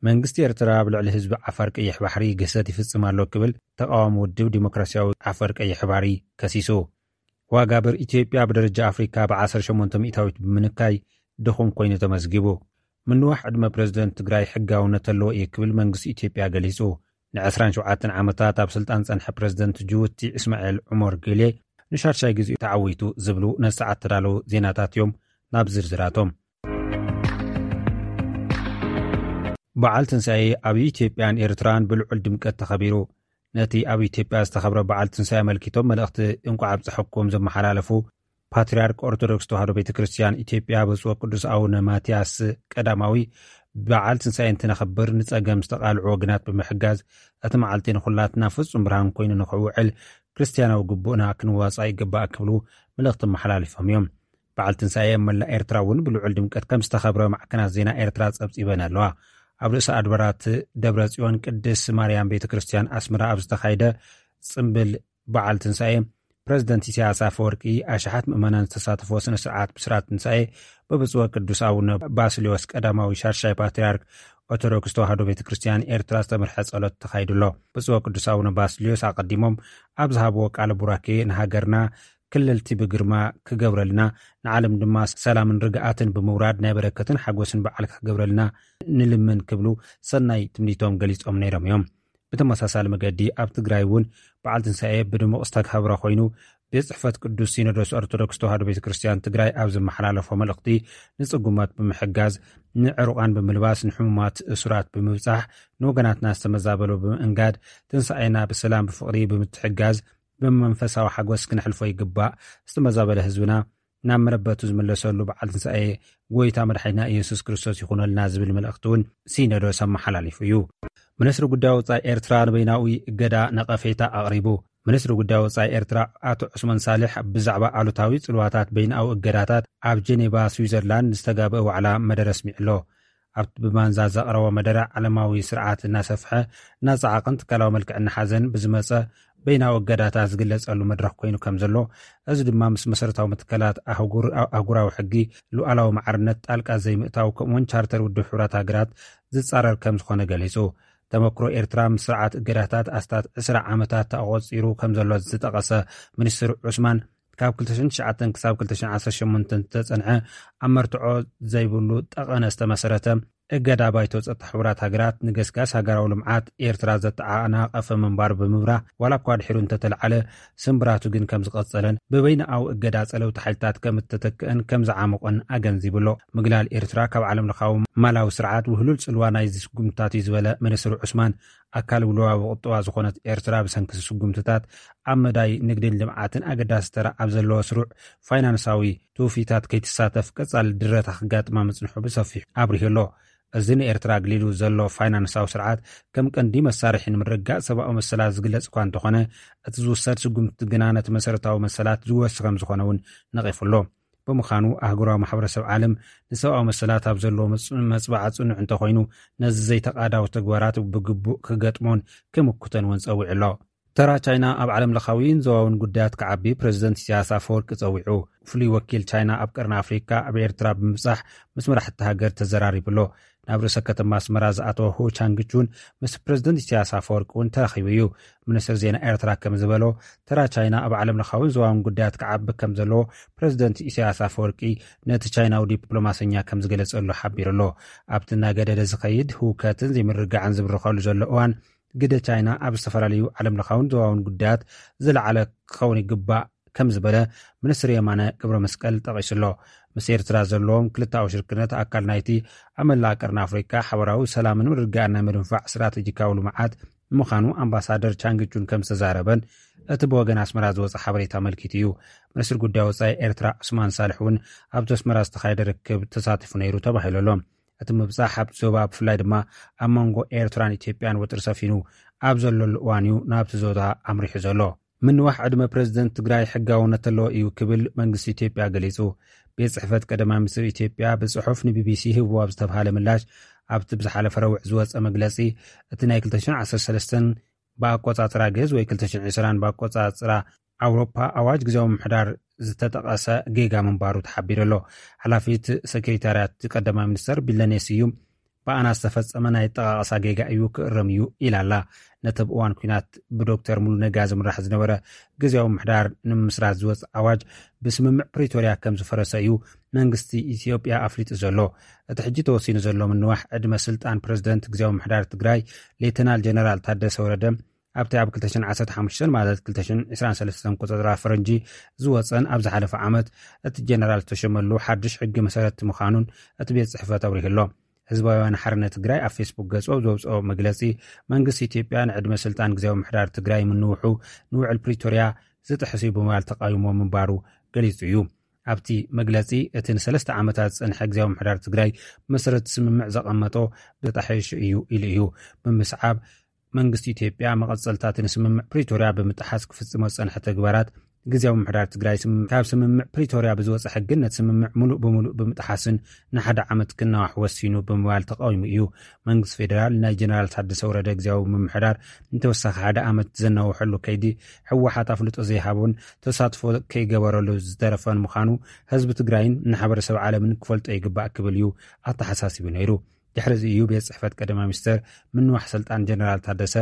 መንግስቲ ኤርትራ ኣብ ልዕሊ ህዝቢ ዓፋር ቀይሕ ባሕሪ ግህሰት ይፍጽም ኣሎ ክብል ተቃዋሚ ውድብ ዲሞክራሲያዊ ዓፋር ቀይሕ ባሕሪ ከሲሱ። ዋጋ ብር ኢትዮጵያ ብደረጃ ኣፍሪካ ብ ዓሰርተ ሸሞንተ ሚእታዊት ብምንካይ ድኹም ኮይኑ ተመዝጊቡ። ምንዋሕ ዕድመ ፕረዚደንት ትግራይ ሕጋውነት ኣለዎ እዩ ክብል መንግስቲ ኢትዮጵያ ገሊጹ። ን ዕስራን ሸውዓተን ዓመታት ኣብ ስልጣን ጸንሐ ፕረዚደንት ጅቡቲ እስማኤል ዑመር ጌሌ ንሻድሻይ ግዜኡ ተዓዊቱ ዝብሉ ነሰዓት ተዳለዉ ዜናታት እዮም። ናብ ዝርዝራቶም። በዓል ትንሳኤ ኣብ ኢትዮጵያን ኤርትራን ብልዑል ድምቀት ተኸቢሩ። ነቲ ኣብ ኢትዮጵያ ዝተኸብረ በዓል ትንሳኤ ኣመልኪቶም መልእኽቲ እንቋዕ ኣብፀሐኩም ዘመሓላለፉ ፓትርያርክ ኦርቶዶክስ ተዋህዶ ቤተ ክርስቲያን ኢትዮጵያ ብፁዕ ቅዱስ ኣቡነ ማትያስ ቀዳማዊ፣ በዓል ትንሳኤ እንትነኽብር ንጸገም ዝተቓልዑ ወገናት ብምሕጋዝ እቲ መዓልቲ ንኹላትና ፍጹም ብርሃን ኮይኑ ንኽውዕል ክርስትያናዊ ግቡእና ክንዋጻእ ይግባእ ክብሉ መልእኽቲ ኣመሓላሊፎም እዮም። በዓል ትንሳኤ ኣብ መላእ ኤርትራ እውን ብልዑል ድምቀት ከም ዝተኸብረ ማዕከናት ዜና ኤርትራ ጸብጺበን ኣለዋ። ኣብ ርእሰ ኣድባራት ደብረ ጽዮን ቅድስት ማርያም ቤተ ክርስቲያን ኣስመራ ኣብ ዝተኻየደ ጽምብል በዓል ትንሳኤ፣ ፕረዚደንት ኢሳያስ ኣፈወርቂ ኣሽሓት ምእመናን ዝተሳተፎ ስነ ስርዓት ብስራት ትንሳኤ ብብፁዕ ቅዱስ ኣቡነ ባስልዮስ ቀዳማዊ ሻድሻይ ፓትርያርክ ኦርቶዶክስ ተዋህዶ ቤተ ክርስቲያን ኤርትራ ዝተመርሐ ጸሎት ተኻይዱ ኣሎ። ብፁዕ ቅዱስ ኣቡነ ባስልዮስ ኣቐዲሞም ኣብ ዝሃብዎ ቃለ ቡራኬ ንሃገርና ክልልቲ ብግርማ ክገብረልና፣ ንዓለም ድማ ሰላምን ርግኣትን ብምውራድ ናይ በረከትን ሓጎስን በዓል ክገብረልና ንልምን ክብሉ ሰናይ ትምኒቶም ገሊጾም ነይሮም እዮም። ብተመሳሳሊ መገዲ ኣብ ትግራይ እውን በዓል ትንሳኤ ብድሙቕ ዝተኸብረ ኮይኑ፣ ቤት ጽሕፈት ቅዱስ ሲኖዶስ ኦርቶዶክስ ተዋህዶ ቤተ ክርስቲያን ትግራይ ኣብ ዘመሓላለፎ መልእኽቲ፣ ንጽጉማት ብምሕጋዝ፣ ንዕሩቓን ብምልባስ፣ ንሕሙማት እሱራት ብምብጻሕ፣ ንወገናትና ዝተመዛበሉ ብምእንጋድ፣ ትንሳኤና ብሰላም ብፍቕሪ ብምትሕጋዝ፣ ብመንፈሳዊ ሓጎስ ክነሕልፎ ይግባእ። ዝተመዛበለ ህዝብና ናብ መረበቱ ዝምለሰሉ በዓል ትንሳኤ ጎይታ መድሓኒና ኢየሱስ ክርስቶስ ይኹነልና ዝብል መልእኽቲ እውን ሲኖዶስ ኣመሓላሊፉ እዩ። ሚኒስትሪ ጉዳይ ወጻኢ ኤርትራ ንበይናዊ እገዳ ነቐፌታ ኣቕሪቡ። ሚኒስትሪ ጉዳይ ወጻኢ ኤርትራ ኣቶ ዑስማን ሳልሕ ብዛዕባ ኣሉታዊ ጽልዋታት በይናዊ እገዳታት ኣብ ጀኔቫ ስዊዘርላንድ ዝተጋብአ ዋዕላ መደረ ኣስሚዑ ኣሎ። ኣብቲ ብማንዛ ዘቕረቦ መደረ፣ ዓለማዊ ስርዓት እናሰፍሐ፣ እናጸዓቐን ትካላዊ መልክዕ እናሓዘን ብዝመጸ በይናዊ እገዳታት ዝግለጸሉ መድረኽ ኮይኑ ከም ዘሎ፣ እዚ ድማ ምስ መሰረታዊ መትከላት ኣህጉር-፣ ኣህጉራዊ ሕጊ፣ ሉዓላዊ ማዕርነት ጣልቃ ዘይምእታው፣ ከምኡውን ቻርተር ውድብ ሕቡራት ሃገራት ዝጻረር ከም ዝኾነ ገሊጹ። ተመክሮ ኤርትራ ምስ ስርዓት እገዳታት ኣስታት ዕስራ ዓመታት ኣቖጺሩ ከም ዘሎ ዝጠቐሰ ሚኒስትር ዑስማን፣ ካብ ክልተ ሽሕን ትሽዓተን ክሳብ ክልተ ሽሕን ዓሰርተ ሸሞንተን ዝተጸንዐ ኣብ መርትዖ ዘይብሉ ጠቐነ ዝተመሰረተ እገዳ ባይቶ ጸጥታ ሕቡራት ሃገራት ንገስጋስ ሃገራዊ ልምዓት ኤርትራ ዘተዓናቐፈ ምንባሩ ብምብራህ፣ ዋላ እኳ ድሒሩ እንተተለዓለ፣ ስምብራቱ ግን ከም ዝቐጸለን ብበይናዊ እገዳ ጸለውቲ ሓይልታት ከም እተተክአን ከም ዝዓመቖን ኣገንዚቡ ኣሎ። ምግላል ኤርትራ ካብ ዓለም ለኻዊ ማላዊ ስርዓት ውህሉል ጽልዋ ናይዚ ስጉምትታት እዩ ዝበለ ሚኒስትር ዑስማን፣ ኣካል ውልዋዊ ቁጠባ ዝኾነት ኤርትራ ብሰንኪ ስጉምትታት ኣብ መዳይ ንግድን ልምዓትን ኣገዳሲ ተራ ኣብ ዘለዎ ስሩዕ ፋይናንሳዊ ትውፊታት ከይትሳተፍ ቀጻሊ ድረታ ክጋጥማ ምጽንሑ ብሰፊሑ ኣብሪሁ ኣሎ። እዚ ንኤርትራ ኣግሊሉ ዘሎ ፋይናንሳዊ ስርዓት ከም ቀንዲ መሳርሒ ንምርግጋጽ ሰብኣዊ መሰላት ዝግለጽ እኳ እንተኾነ፣ እቲ ዝውሰድ ስጉምቲ ግና ነቲ መሰረታዊ መሰላት ዝወሲ ከም ዝኾነ እውን ነቒፉ ኣሎ። ብምዃኑ ኣህጉራዊ ማሕበረሰብ ዓለም ንሰብኣዊ መሰላት ኣብ ዘለዎ መጽ-፣ መጽባዓ ጽኑዕ እንተኾይኑ፣ ነዚ ዘይተቓዳዊ ተግባራት ብግቡእ ክገጥሞን ክምክቶን እውን ጸዊዑ ኣሎ። ተራ ቻይና ኣብ ዓለም ለኻዊን ዞባውን ጉዳያት ክዓቢ ፕረዚደንት ኢሳያስ ኣፈወርቂ ጸዊዑ። ፍሉይ ወኪል ቻይና ኣብ ቀርኒ ኣፍሪካ ኣብ ኤርትራ ብምብጻሕ ምስ መራሕቲ ሃገር ተዘራሪቡ ኣሎ። ናብ ርእሰ ከተማ ኣስመራ ዝኣተወ ሁ ቻንግቹን ምስ ፕረዚደንት ኢሳያስ ኣፈወርቂ እውን ተራኺቡ እዩ። ሚኒስትር ዜና ኤርትራ ከም ዝበሎ፣ ተራ ቻይና ኣብ ዓለም ለኻዊን ዞባውን ጉዳያት ክዓቢ ከም ዘለዎ ፕረዚደንት ኢሳያስ ኣፈወርቂ ነቲ ቻይናዊ ዲፕሎማሰኛ ከም ዝገለጸሉ ሓቢሩ ኣሎ። ኣብቲ እናገደደ ዝኸይድ ህውከትን ዘይምርግጋዕን ዝብርኸሉ ዘሎ እዋን፣ ግደ ቻይና ኣብ ዝተፈላለዩ ዓለም ለኻውን ዞባውን ጉዳያት ዝለዓለ ክኸውን ይግባእ ከም ዝበለ ሚኒስትር የማነ ገብረ መስቀል ጠቒሱ ኣሎ። ምስ ኤርትራ ዘለዎም ክልተኣዊ ሽርክነት ኣካል ናይቲ ኣብ መላእ ቀርኒ ኣፍሪካ ሓበራዊ ሰላምን ምርግጋእን ናይ ምድንፋዕ ስትራቴጂካዊ ልምዓት ምዃኑ ኣምባሳደር ቻንግቹን ከም ዝተዛረበን እቲ ብወገን ኣስመራ ዝወጸ ሓበሬታ ኣመልኪቱ እዩ። ሚኒስትር ጉዳይ ወጻኢ ኤርትራ ዑስማን ሳልሕ እውን ኣብቲ ኣስመራ ዝተኻየደ ርክብ ተሳቲፉ ነይሩ ተባሂሉ ኣሎ። እቲ ምብጻሕ ኣብቲ ዞባ ብፍላይ ድማ ኣብ መንጎ ኤርትራን ኢትዮጵያን ወጥሪ ሰፊኑ ኣብ ዘለሉ እዋን እዩ ናብቲ ዞባ ኣምሪሑ ዘሎ። ምንዋሕ ዕድመ ፕረዚደንት ትግራይ ሕጋውነት ኣለዎ እዩ ክብል መንግስቲ ኢትዮጵያ ገሊጹ። ቤት ጽሕፈት ቀዳማይ ሚኒስትር ኢትዮጵያ ብጽሑፍ ንቢቢሲ ህብዎ ኣብ ዝተብሃለ ምላሽ፣ ኣብቲ ብዝሓለፈ ረቡዕ ዝወጸ መግለጺ፣ እቲ ናይ ክልተ ሽሕን ዓሰርተ ሰለስተን ብኣቆጻጽራ ግእዝ ወይ ክልተ ሽሕን ዕስራን ብኣቆጻጽራ ኣውሮፓ ኣዋጅ ግዜያዊ ምምሕዳር ዝተጠቐሰ ጌጋ ምንባሩ ተሓቢሩ ኣሎ። ሓላፊት ሰክሬታርያት ቀዳማይ ሚኒስተር ቢለኔ ስዩም፣ ብኣና ዝተፈጸመ ናይ ኣጠቓቕሳ ጌጋ እዩ፣ ክእረም እዩ ኢላ ኣላ። ነቲ ኣብ እዋን ኲናት ብዶክተር ሙሉ ነጋ ዝምራሕ ዝነበረ ግዜያዊ ምምሕዳር ንምምስራት ዝወጽእ ኣዋጅ ብስምምዕ ፕሪቶርያ ከም ዝፈረሰ እዩ መንግስቲ ኢትዮጵያ ኣፍሊጡ ዘሎ። እቲ ሕጂ ተወሲኑ ዘሎ ምንዋሕ ዕድመ ስልጣን ፕረዚደንት ግዜያዊ ምምሕዳር ትግራይ ሌተናል ጀነራል ታደሰ ወረደ፣ ኣብቲ ኣብ ክልተ ሽሕን ዓሰርተ ሓሙሽተን ማለት ክልተ ሽሕን ዕስራን ሰለስተን ቆጸራ ፈረንጂ ዝወጸን ኣብ ዝሓለፈ ዓመት እቲ ጀነራል ዝተሸመሉ ሓድሽ ሕጊ መሰረት ምዃኑን እቲ ቤት ጽሕፈት ኣብሪሁ ኣሎ። ህዝባዊ ወያነ ሓርነት ትግራይ ኣብ ፌስቡክ ገጹ ኣብ ዘውጽኦ መግለጺ፣ መንግስቲ ኢትዮጵያ ንዕድመ ስልጣን ግዜያዊ ምምሕዳር ትግራይ ምንውሑ ንውዕል ፕሪቶርያ ዝጥሕስ እዩ ብምባል ተቃዊሞ ምንባሩ ገሊጹ እዩ። ኣብቲ መግለጺ፣ እቲ ንሰለስተ ዓመታት ዝጸንሐ ግዜያዊ ምምሕዳር ትግራይ ብመሰረት ስምምዕ ዘቐመጦ ብጣሒሹ እዩ ኢሉ እዩ። ብምስዓብ፣ መንግስቲ ኢትዮጵያ መቐጸልታቲ ንስምምዕ ፕሪቶርያ ብምጥሓስ ክፍጽሞ ዝጸንሐ ተግባራት፣ ግዜያዊ ምምሕዳር ትግራይ ስም-፣ ካብ ስምምዕ ፕሪቶርያ ብዝወጸ ሕግን ነቲ ስምምዕ ምሉእ ብምሉእ ብምጥሓስን ንሓደ ዓመት ክናዋሕ ወሲኑ ብምባል ተቃዊሙ እዩ። መንግስቲ ፌደራል ናይ ጀነራል ታደሰ ወረደ ግዜያዊ ምምሕዳር ንተወሳኺ ሓደ ዓመት ዘናውሐሉ ከይዲ፣ ህወሓት ኣፍልጦ ዘይሃቦን ተሳትፎ ከይገበረሉ ዝተረፈን ምዃኑ ህዝቢ ትግራይን ንሓበረሰብ ዓለምን ክፈልጦ ይግባእ ክብል እዩ ኣተሓሳሲቡ ነይሩ። ድሕሪ እዚ እዩ ቤት ጽሕፈት ቀዳማይ ሚኒስተር ምንዋሕ ስልጣን ጀነራል ታደሰ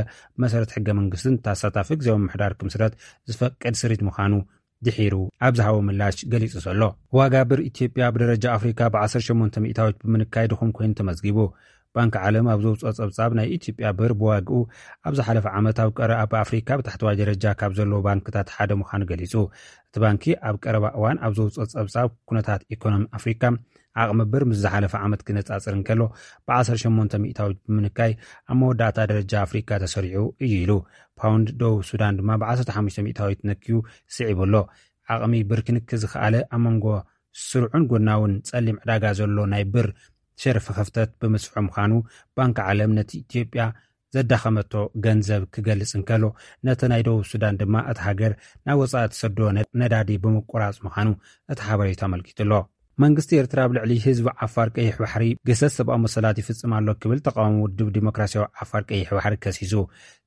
መሰረት ሕገ መንግስትን ተሳታፊ ግዜያዊ ምምሕዳር ክምስረት ዝፈቅድ ስሪት ምዃኑ ድሒሩ ኣብ ዝሃቦ ምላሽ ገሊጹ ዘሎ። ዋጋ ብር ኢትዮጵያ ብደረጃ ኣፍሪካ ብዓሰርተ ሸሞንተ ሚእታዊት ብምንካይ ድኹም ኮይኑ ተመዝጊቡ። ባንኪ ዓለም ኣብ ዘውፅኦ ፀብፃብ፣ ናይ ኢትዮጵያ ብር ብዋግኡ ኣብ ዝሓለፈ ዓመት ኣብ ቀረ ኣብ ኣፍሪካ ብታሕተዋይ ደረጃ ካብ ዘለዎ ባንክታት ሓደ ምዃኑ ገሊፁ። እቲ ባንኪ ኣብ ቀረባ እዋን ኣብ ዘውፅኦ ፀብፃብ፣ ኩነታት ኢኮኖሚ ኣፍሪካ ዓቕሚ ብር ምስ ዝሓለፈ ዓመት ክነፃፅር እንከሎ ብ18% ብምንካይ ኣብ መወዳእታ ደረጃ ኣፍሪካ ተሰሪዑ እዩ ኢሉ። ፓውንድ ደቡብ ሱዳን ድማ ብ15% ነክዩ ስዒቡ ኣሎ። ዓቕሚ ብር ክንኪ ዝኸኣለ ኣብ መንጎ ስሩዕን ጎናውን ጸሊም ዕዳጋ ዘሎ ናይ ብር ሸርፊ ክፍተት ብምስሑ ምዃኑ፣ ባንኪ ዓለም ነቲ ኢትዮጵያ ዘዳኸመቶ ገንዘብ ክገልጽ እንከሎ፣ ነቲ ናይ ደቡብ ሱዳን ድማ እታ ሃገር ናብ ወጻኢ ትሰዶ ነ-፣ ነዳዲ ብምቁራጽ ምዃኑ እቲ ሓበሬታ ኣመልኪቱ ኣሎ። መንግስቲ ኤርትራ ኣብ ልዕሊ ህዝቢ ዓፋር ቀይሕ ባሕሪ ግህሰት ሰብኣዊ መሰላት ይፍጽም ኣሎ ክብል ተቃዋሚ ውድብ ዲሞክራሲያዊ ዓፋር ቀይሕ ባሕሪ ከሲሱ።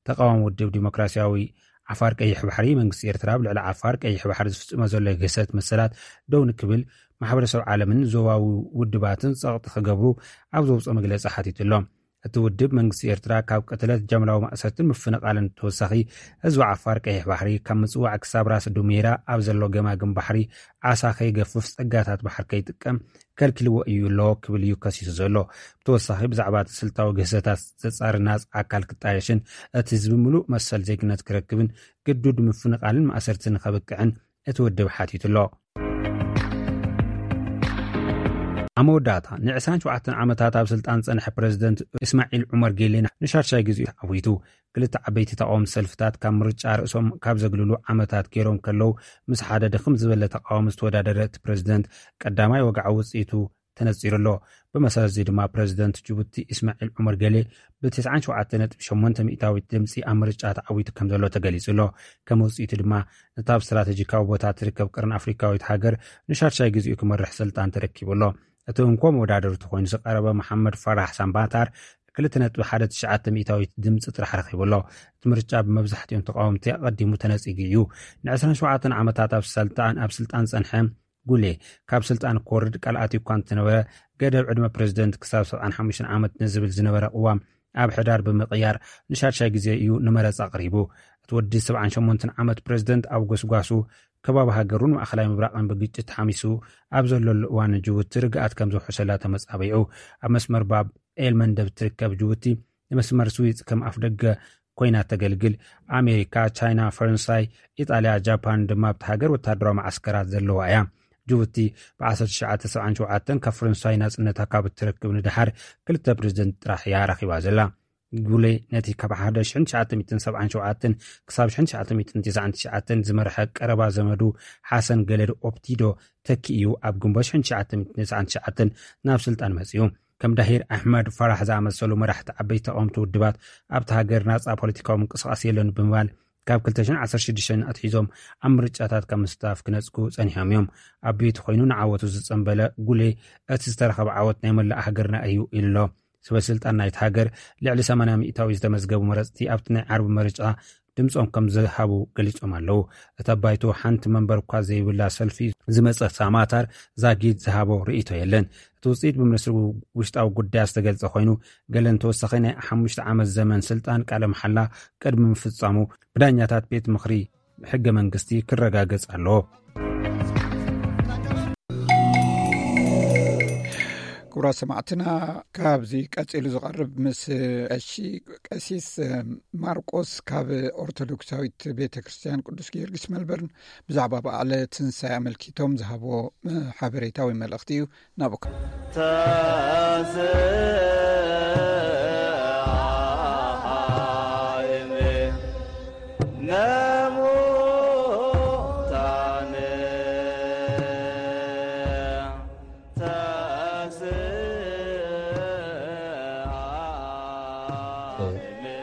ተቃዋሚ ውድብ ዲሞክራሲያዊ ዓፋር ቀይሕ ባሕሪ፣ መንግስቲ ኤርትራ ኣብ ልዕሊ ዓፋር ቀይሕ ባሕሪ ዝፍጽሞ ዘሎ ግህሰት መሰላት ደው ንክብል ማሕበረሰብ ዓለምን ዞባዊ ውድባትን ጸቕጢ ክገብሩ ኣብ ዘውፅኦ መግለጺ ሓቲቱ ኣሎ። እቲ ውድብ መንግስቲ ኤርትራ ካብ ቅትለት፣ ጃምላዊ ማእሰርትን ምፍንቓልን ተወሳኺ፣ ህዝቢ ዓፋር ቀይሕ ባሕሪ ካብ ምጽዋዕ ክሳብ ራስ ዱሜራ ኣብ ዘሎ ገማግም ባሕሪ ዓሳ ከይገፍፍ፣ ጸጋታት ባሕር ከይጥቀም ከልኪልዎ እዩ ኣሎ ክብል እዩ ከሲሱ ዘሎ። ብተወሳኺ ብዛዕባ እቲ ስልታዊ ግህሰታት ዘጻሪ ናጽ ኣካል ክጣየሽን እቲ ህዝቢ ምሉእ መሰል ዜግነት ክረክብን ግዱድ ምፍንቓልን ማእሰርትን ከብቅዕን እቲ ውድብ ሓቲቱ ኣሎ። ኣብ መወዳእታ፣ ን27 ዓመታት ኣብ ስልጣን ዝጸንሐ ፕረዚደንት እስማዒል ዑመር ጌሌ ንሻድሻይ ግዜኡ ተዓዊቱ። ክልተ ዓበይቲ ተቃወምቲ ሰልፍታት ካብ ምርጫ ርእሶም ካብ ዘግልሉ ዓመታት ገይሮም ከለዉ፣ ምስ ሓደ ድኽም ዝበለ ተቃዋሚ ዝተወዳደረ እቲ ፕረዚደንት ቀዳማይ ወግዓዊ ውጽኢቱ ተነጺሩ ኣሎ። ብመሰረት እዚ ድማ ፕረዚደንት ጅቡቲ እስማዒል ዑመር ጌሌ ብ97.8% ድምጺ ኣብ ምርጫ ተዓዊቱ ከም ዘሎ ተገሊጹ ኣሎ። ከም ውጽኢቱ ድማ ነታ ኣብ ስትራተጂካዊ ቦታ ትርከብ ቀርኒ ኣፍሪካዊት ሃገር ንሻድሻይ ግዜኡ ክመርሕ ስልጣን ተረኪቡ ኣሎ። እቲ እንኮ መወዳደርቲ ኮይኑ ዝቐረበ መሓመድ ፋራህ ሳምባታር 2.19% ድምፂ ጥራሕ ረኺቡ ኣሎ። እቲ ምርጫ ብመብዛሕትኦም ተቃወምቲ ኣቐዲሙ ተነፂጉ እዩ። ን27 ዓመታት ኣብ ስልጣን፣ ኣብ ስልጣን ፀንሐ ጉሌ፣ ካብ ስልጣን ክወርድ ቃል ኣትዩ እኳ እንተነበረ፣ ገደብ ዕድመ ፕረዚደንት ክሳብ 75 ዓመት ንዝብል ዝነበረ ቅዋም ኣብ ሕዳር ብምቕያር ንሻድሻይ ግዜ እዩ ንመረፃ ኣቕሪቡ። እቲ ወዲ 78 ዓመት ፕረዚደንት ኣብ ጎስጓሱ ከባቢ ሃገሩን ማእኸላይ ምብራቕን ብግጭት ሓሚሱ ኣብ ዘለሉ እዋን፣ ጅቡቲ ርግኣት ከም ዘውሕሰላ ተመጻቢዑ። ኣብ መስመር ባብ ኤል መንደብ ትርከብ ጅቡቲ፣ ንመስመር ስዊዝ ከም ኣፍደገ ኮይና ተገልግል። ኣሜሪካ፣ ቻይና፣ ፈረንሳይ፣ ኢጣልያ፣ ጃፓን ድማ ኣብታ ሃገር ወታደራዊ መዓስከራት ዘለዋ እያ። ጅቡቲ ብ1977 ካብ ፈረንሳይ ናጽነታ ካብ እትረክብ ንደሓር ክልተ ፕረዚደንት ጥራሕ እያ ረኺባ ዘላ። ጉሌ ነቲ ካብ 1977 ክሳብ 1999 ዝመርሐ ቀረባ ዘመዱ ሓሰን ገለድ ኦፕቲዶ ተኪኡ ኣብ ግንቦት 1999 ናብ ስልጣን መጺኡ። ከም ዳሂር ኣሕመድ ፋራህ ዝኣመሰሉ መራሕቲ ዓበይቲ ተቃወምቲ ውድባት ኣብቲ ሃገር ናጻ ፖለቲካዊ ምንቅስቃስ የለን ብምባል ካብ 2016 ኣትሒዞም ኣብ ምርጫታት ካብ ምስታፍ ክነጽጉ ጸኒሖም እዮም። ኣቤት ኮይኑ ንዓወቱ ዝጸንበለ ጉሌ፣ እቲ ዝተረኸበ ዓወት ናይ መላእ ሃገርና እዩ ኢሉ ኣሎ። ሰበ ስልጣን ናይቲ ሃገር ልዕሊ 80% ዝተመዝገቡ መረጽቲ ኣብቲ ናይ ዓርቢ መርጫ ድምጾም ከም ዝሃቡ ገሊጾም ኣለዉ። እታ ባይቶ ሓንቲ መንበር እኳ ዘይብላ ሰልፊ ዝመጸ ሳማታር ዛጊድ ዝሃቦ ርእይቶ የለን። እቲ ውጽኢት ብሚኒስትሪ ውሽጣዊ ጉዳያት ዝተገልጸ ኮይኑ፣ ገለን ተወሳኺ ናይ ሓሙሽተ ዓመት ዘመን ስልጣን ቃለ መሓላ ቅድሚ ምፍጻሙ ብዳኛታት ቤት ምኽሪ ሕገ መንግስቲ ክረጋገጽ ኣለዎ። ክቡራት ሰማዕትና፣ ካብዚ ቀጺሉ ዝቐርብ ምስ ቀሺ ቀሲስ ማርቆስ ካብ ኦርቶዶክሳዊት ቤተ ክርስቲያን ቅዱስ ጊዮርጊስ መልበርን ብዛዕባ በዓለ ትንሳኤ ኣመልኪቶም ዝሃብዎ ሓበሬታ ወይ መልእኽቲ እዩ። ናብኡ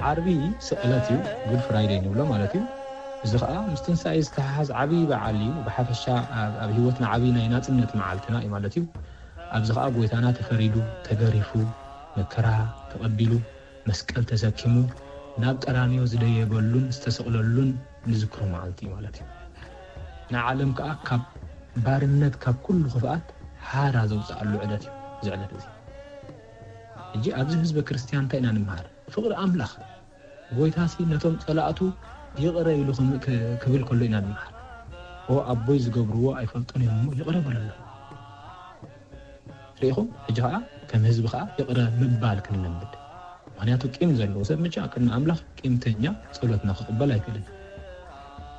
ዓርቢ ስቕለት እዩ፣ ጉድ ፍራይደይ ንብሎ ማለት እዩ። እዚ ኸኣ ምስ ትንሳኤ ዝተሓሓዝ ዓብዪ በዓል እዩ። ብሓፈሻ ኣብ፣ ኣብ ህይወትና ዓብዪ ናይ ናጽነት መዓልትና እዩ ማለት እዩ። ኣብዚ ኸኣ ጎይታና ተፈሪዱ፣ ተገሪፉ፣ መከራ ተቐቢሉ፣ መስቀል ተሰኪሙ፣ ናብ ቀራንዮ ዝደየበሉን ዝተሰቕለሉን ንዝክሮ መዓልቲ እዩ ማለት እዩ። ንዓለም ከኣ ካብ ባርነት፣ ካብ ኩሉ ክፍኣት ሓራ ዘውጽኣሉ ዕለት እዩ እዚ ዕለት እዚ። ሕጂ ኣብዚ ህዝበ ክርስትያን እንታይ ኢና ንምሃር? ፍቕሪ ኣምላኽ። ጎይታሲ ነቶም ጸላእቱ ይቕረ ኢሉ ክም-፣ ክ-፣ ክብል ከሎ ኢና ንምሃር። "ኦ ኣቦይ ዝገብርዎ ኣይፈልጡን እዮም እሞ ይቕረ በለሎም።" ርኢኹም? ሕጂ ኸኣ ከም ህዝቢ ከዓ ይቕረ ምባል ክንለምድ። ምኽንያቱ ቂም ዘለዎ ሰብ ምቻ ቅድሚ ኣምላኽ ቂምተኛ ጸሎትና ክቕበል ኣይክእልን።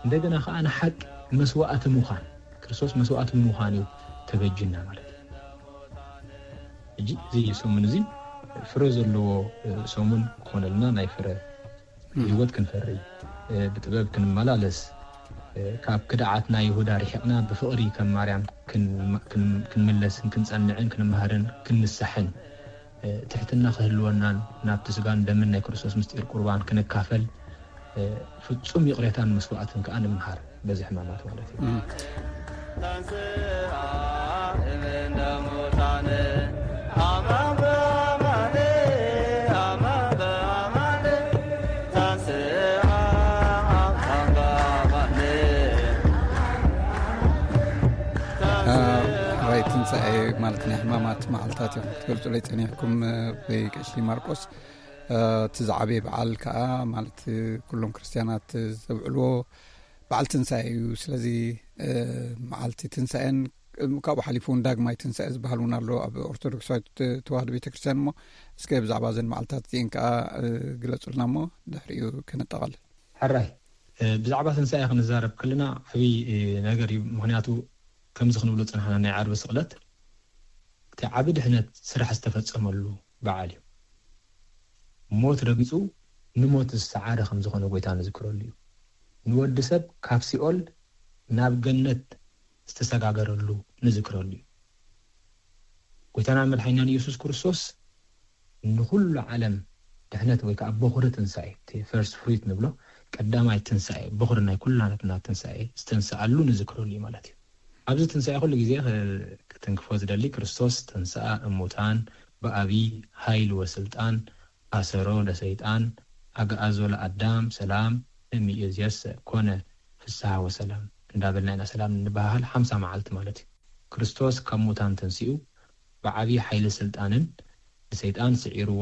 እንደገና ከዓ ንሓቂ መስዋእቲ ምዃን፣ ክርስቶስ መስዋእቲ ብምዃን እዩ ተበጅና ማለት እዩ። ሕጂ እዚ ሰሙን እዚ ፍረ ዘለዎ ሰሙን ክኾነልና፣ ናይ ፍረ ህይወት ክንፈሪ፣ ብጥበብ ክንመላለስ፣ ካብ ክድዓት ናይ ይሁዳ ርሒቕና ብፍቕሪ ከም ማርያም ክንመለስን ክንጸንዕን ክንመሃርን ክንንሳሕን፣ ትሕትና ክህልወናን ናብቲ ስጋን ደምን ናይ ክርስቶስ ምስጢር ቁርባን ክንካፈል፣ ፍጹም ይቕሬታን መስዋእትን ከኣ ንምሃር በዚ ሕማማት ማለት እዩ። ራይ ትንሳኤ ማለት ናይ ሕማማት መዓልታት እዮም ክትገልጹለይ ጸኒሕኩም። ብቀሺ ማርቆስ፣ እቲ ዝዓበየ በዓል ከዓ ማለት ኩሎም ክርስትያናት ዘብዕልዎ በዓል ትንሳኤ እዩ። ስለዚ መዓልቲ ትንሳኤን ካብኡ ሓሊፉ እውን ዳግማይ ትንሳኤ ዝበሃል እውን ኣሎ ኣብ ኦርቶዶክሳዊት ተዋህዶ ቤተክርስትያን። እሞ እስከ ብዛዕባ እዘን መዓልታት እዚአን ከዓ ግለፁልና እሞ ድሕሪኡ ከነጠቓልል። ሕራይ፣ ብዛዕባ ትንሳኤ ክንዛረብ ከለና ዓብዪ ነገር እዩ። ምክንያቱ ከምዚ ክንብሎ ፅናሕና፣ ናይ ዓርቢ ስቕለት እቲ ዓቢ ድሕነት ስራሕ ዝተፈጸመሉ በዓል እዩ። ሞት ረጊጹ ንሞት ዝሰዓረ ከም ዝኾነ ጎይታ ንዝክረሉ እዩ። ንወዲ ሰብ ካብ ሲኦል ናብ ገነት ዝተሰጋገረሉ ንዝክረሉ እዩ። ጎይታና መድሓኒናን ኢየሱስ ክርስቶስ ንኹሉ ዓለም ድሕነት ወይ ከዓ በኹሪ ትንሳኤ፣ እቲ ፈርስት ፍሩት ንብሎ፣ ቀዳማይ ትንሳኤ፣ በኹሪ ናይ ኩላትና ትንሳኤ ዝተንስኣሉ ንዝክረሉ እዩ ማለት እዩ። ኣብዚ ትንሳኤ ኩሉ ግዜ ክትንክፎ ዝደሊ፣ ክርስቶስ ተንስኣ እሙታን ብኣብይ ኃይል ወስልጣን፣ ኣሰሮ ለሰይጣን፣ ኣግኣዞ ለኣዳም ሰላም እምይእዜሰ ኮነ ፍስሐ ወሰላም እንዳበልና ኢና ሰላም እንበሃሃል ሓምሳ መዓልቲ ማለት እዩ። ክርስቶስ ካብ ሙታን ተንሲኡ ብዓብዪ ሓይሊ ስልጣንን ንሰይጣን ስዒርዎ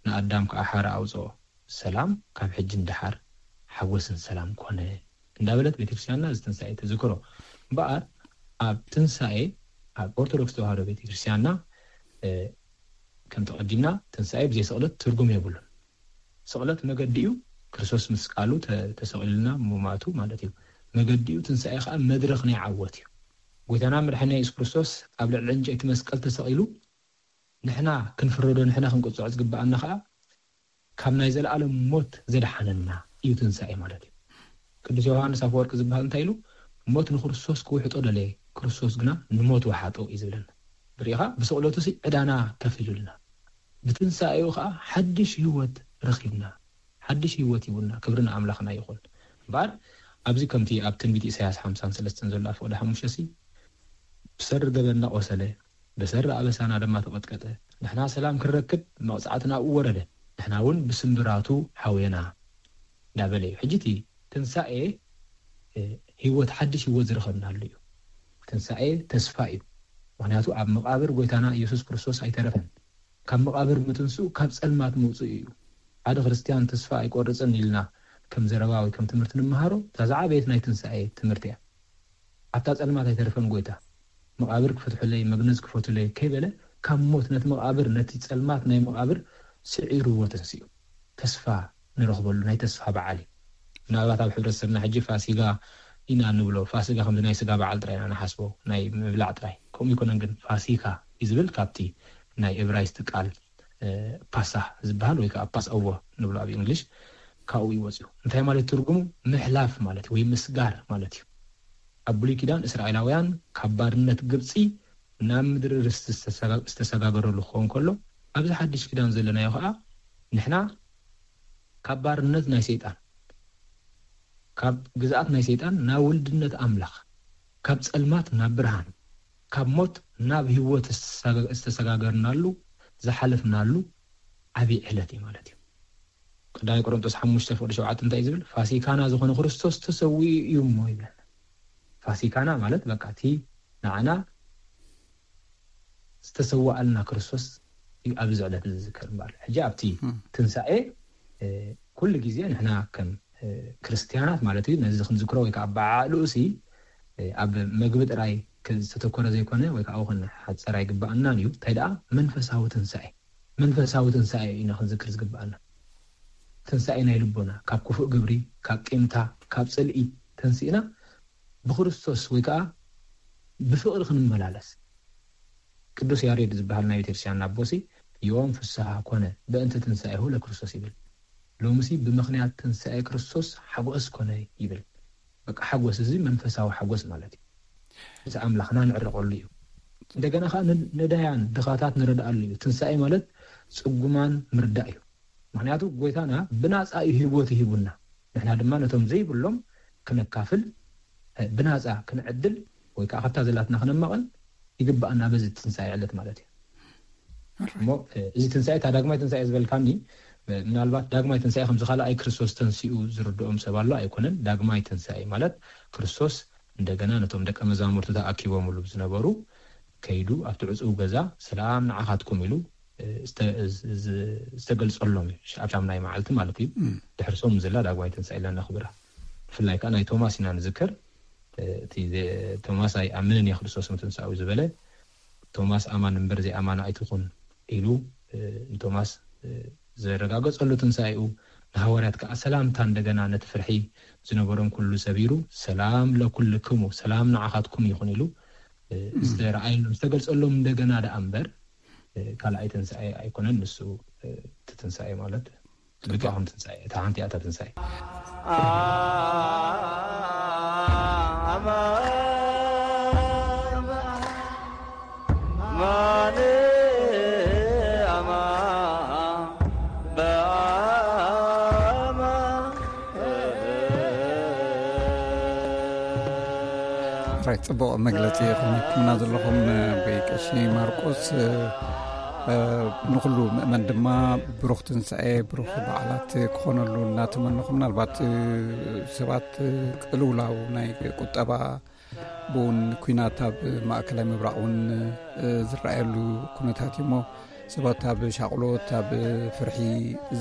ንኣዳም ከዓ ሓራ ኣውፅኦ። ሰላም ካብ ሕጂ ንደሓር ሓጎስን ሰላም ኮነ እንዳበለት ቤተክርስትያንና እዚ ትንሳኤ ተዝክሮ። እምበኣር ኣብ ትንሳኤ ኣብ ኦርቶዶክስ ተዋህዶ ቤተክርስትያንና ከም ተቐዲምና ትንሳኤ ብዘይ ስቕለት ትርጉም የብሉን። ስቕለት መገዲ እዩ። ክርስቶስ ምስ ቃሉ ተሰቒሉልና ምማቱ ማለት እዩ። መገዲ እዩ። ትንሳኤ ከዓ መድረኽ ናይ ዓወት እዩ። ጎይታና መድሓኒና የሱስ ክርስቶስ ኣብ ልዕሊ ዕንጨይቲ መስቀል ተሰቒሉ ንሕና ክንፍረዶ ንሕና ክንቅፅዖ ዝግብኣና ከዓ ካብ ናይ ዘለኣለም ሞት ዘድሓነና እዩ ትንሳኤ ማለት እዩ። ቅዱስ ዮሃንስ ኣፈወርቂ ዝበሃል እንታይ ኢሉ? ሞት ንክርስቶስ ክውሕጦ ደለየ፣ ክርስቶስ ግና ንሞት ወሓጦ እዩ ዝብለና። ብሪኢኻ ብስቕለቱ ሲ ዕዳና ከፊሉልና፣ ብትንሳኤኡ ከዓ ሓድሽ ህይወት ረኺብና፣ ሓድሽ ህይወት ሂቡና። ክብሪ ንኣምላኽና ይኹን። እምበኣር ኣብዚ ከምቲ ኣብ ትንቢት ኢሳያስ ሓምሳን ሰለስተን ዘሎ ኣፍቕደ ሓሙሽተ ሲ ብሰሪ ገበንና ቆሰለ፣ ብሰሪ ኣበሳና ድማ ተቐጥቀጠ። ንሕና ሰላም ክንረክብ መቕጻዕቲ ናብኡ ወረደ፣ ንሕና እውን ብስምብራቱ ሓውየና እንዳበለ እዩ። ሕጂ እቲ ትንሳኤ ህይወት፣ ሓድሽ ህይወት ዝረኸብናሉ እዩ። ትንሳኤ ተስፋ እዩ። ምክንያቱ ኣብ መቓብር ጎይታና ኢየሱስ ክርስቶስ ኣይተረፈን። ካብ መቓብር ምትንስኡ ካብ ጸልማት ምውፅኡ እዩ። ሓደ ክርስትያን ተስፋ ኣይቆርፅን ኢልና ከም ዘረባ ወይ ከም ትምህርቲ ንምሃሮ እታ ዝዓበየት ናይ ትንሳኤ ትምህርቲ እያ። ኣብታ ጸልማት ኣይተረፈን ጎይታ። መቓብር ክፈትሑለይ፣ መግነዝ ክፈቱለይ ከይበለ ካብ ሞት ነቲ መቓብር፣ ነቲ ጸልማት ናይ መቓብር ስዒርዎ ተንሲኡ። ተስፋ ንረኽበሉ ናይ ተስፋ በዓል እዩ። ምናልባት ኣብ ሕብረተሰብና ሕጂ ፋሲጋ ኢና ንብሎ። ፋሲጋ ከምዚ ናይ ስጋ በዓል ጥራይ ኢና ንሓስቦ፣ ናይ ምብላዕ ጥራይ። ከምኡ ይኮነን ግን ፋሲካ እዩ ዝብል ካብቲ ናይ እብራይስጥ ቃል ፓሳ ዝበሃል ወይ ከዓ ፓስ ኦቨር ንብሎ ኣብ እንግሊሽ ካብኡ እዩ ወፂኡ። እንታይ ማለት ትርጉሙ? ምሕላፍ ማለት ወይ ምስጋር ማለት እዩ። ኣብ ብሉይ ኪዳን እስራኤላውያን ካብ ባርነት ግብፂ ናብ ምድሪ ርስቲ ዝተሰጋገረሉ ክኸውን ከሎ ኣብዚ ሓድሽ ኪዳን ዘለናዮ ከዓ ንሕና ካብ ባርነት ናይ ሰይጣን፣ ካብ ግዝኣት ናይ ሰይጣን ናብ ውልድነት ኣምላኽ፣ ካብ ጸልማት ናብ ብርሃን፣ ካብ ሞት ናብ ህይወት ዝተሰጋገርናሉ ዝሓለፍናሉ ዓብዪ ዕለት እዩ ማለት እዩ። ቀዳማይ ቆሮንቶስ ሓሙሽተ ፍቕዲ ሸውዓተ እንታይ እዩ ዝብል? ፋሲካና ዝኾነ ክርስቶስ ተሰዊኡ እዩ እሞ ይብለና። ፋሲካና ማለት በቃ እቲ ንዓና ዝተሰዋኣልና ክርስቶስ እዩ ኣብዚ ዕለት እዚ ዝዝከር እምበኣር። ሕጂ ኣብቲ ትንሳኤ ኩሉ ግዜ ንሕና ከም ክርስትያናት ማለት እዩ ነዚ ክንዝክሮ ወይ ከዓ በዓልኡ ሲ ኣብ መግቢ ጥራይ ዝተተኮረ ዘይኮነ ወይ ከዓ ክንሓፀር ኣይግባኣናን እዩ። እንታይ ደኣ መንፈሳዊ ትንሳኤ፣ መንፈሳዊ ትንሳኤ ኢና ክንዝክር ዝግባኣና። ትንሳኤ ናይ ልቦና ካብ ክፉእ ግብሪ፣ ካብ ቂምታ፣ ካብ ፅልኢ ተንሲእና ብክርስቶስ ወይ ከዓ ብፍቕሪ ክንመላለስ። ቅዱስ ያሬድ ዝበሃል ናይ ቤተክርስትያን ኣቦሲ ዮም ፍስሃ ኮነ በእንተ ትንሳኤሁ ለክርስቶስ ይብል። ሎምሲ ብምኽንያት ትንሳኤ ክርስቶስ ሓጎስ ኮነ ይብል። በቃ ሓጎስ እዚ መንፈሳዊ ሓጎስ ማለት እዩ። እዚ ኣምላኽና ንዕረቐሉ እዩ። እንደገና ከዓ ነዳያን ድኻታት ንረድኣሉ እዩ። ትንሳኤ ማለት ፅጉማን ምርዳእ እዩ። ምክንያቱ ጎይታና ብናፃ እዩ ህይወት ይሂቡና። ንሕና ድማ ነቶም ዘይብሎም ክነካፍል፣ ብናፃ ክንዕድል ወይ ከዓ ካብታ ዘላትና ክነማቐል ይግባኣና በዚ ትንሳኤ ዕለት ማለት እዩ። እሞ እዚ ትንሳኤ እታ ዳግማይ ትንሳኤ ዝበልካኒ፣ ምናልባት ዳግማይ ትንሳኤ ከምዚ ካልኣይ ክርስቶስ ተንሲኡ ዝርድኦም ሰብ ኣሎ ኣይኮነን። ዳግማይ ትንሳኤ ማለት ክርስቶስ እንደገና ነቶም ደቀ መዛሙርቱ ተኣኪቦምሉ ዝነበሩ ከይዱ ኣብቲ ዕፁብ ገዛ ሰላም ንዓኻትኩም ኢሉ ዝተገልፀሎም እዩ። ኣብ ሻምናይ መዓልቲ ማለት እዩ። ድሕርሶም ዘላ ዳግማይ ትንሳኤ ኢልና ነኽብራ። ብፍላይ ከዓ ናይ ቶማስ ኢና ንዝክር። እቲ ቶማስ ኣይኣምንን እየ ክርስቶስ ምትንሳኡ ዝበለ፣ ቶማስ ኣማን እምበር ዘይኣማን ኣይትኹን ኢሉ ንቶማስ ዘረጋገፀሉ ትንሳኤኡ፣ ንሃዋርያት ከዓ ሰላምታ እንደገና ነቲ ፍርሒ ዝነበሮም ኩሉ ሰቢሩ ሰላም ለኩልክሙ፣ ሰላም ንዓኻትኩም ይኹን ኢሉ ዝተረኣየሎም ዝተገልፀሎም እንደገና ደኣ እምበር ካልኣይ ትንሳኤ ኣይኮነን። ንሱ እቲ ትንሳኤ ማለት ልባኹም ትንሳኤ እታ ሓንቲ እያ እታ ትንሳኤ። ራይ ጽቡቕ መግለጺ ኢኹም ሂብኩምና ዘለኹም። ብቀሺ ማርቆስ ንኩሉ ምእመን ድማ ብሩኽ ትንሳኤ ብሩኽ በዓላት ክኾነሉ እናተመነኹ፣ ምናልባት ሰባት ቅልውላው ናይ ቁጠባ ብውን ኩናት ኣብ ማእከላይ ምብራቕ እውን ዝረኣየሉ ኩነታት እዩ እሞ፣ ሰባት ኣብ ሻቕሎት ኣብ ፍርሒ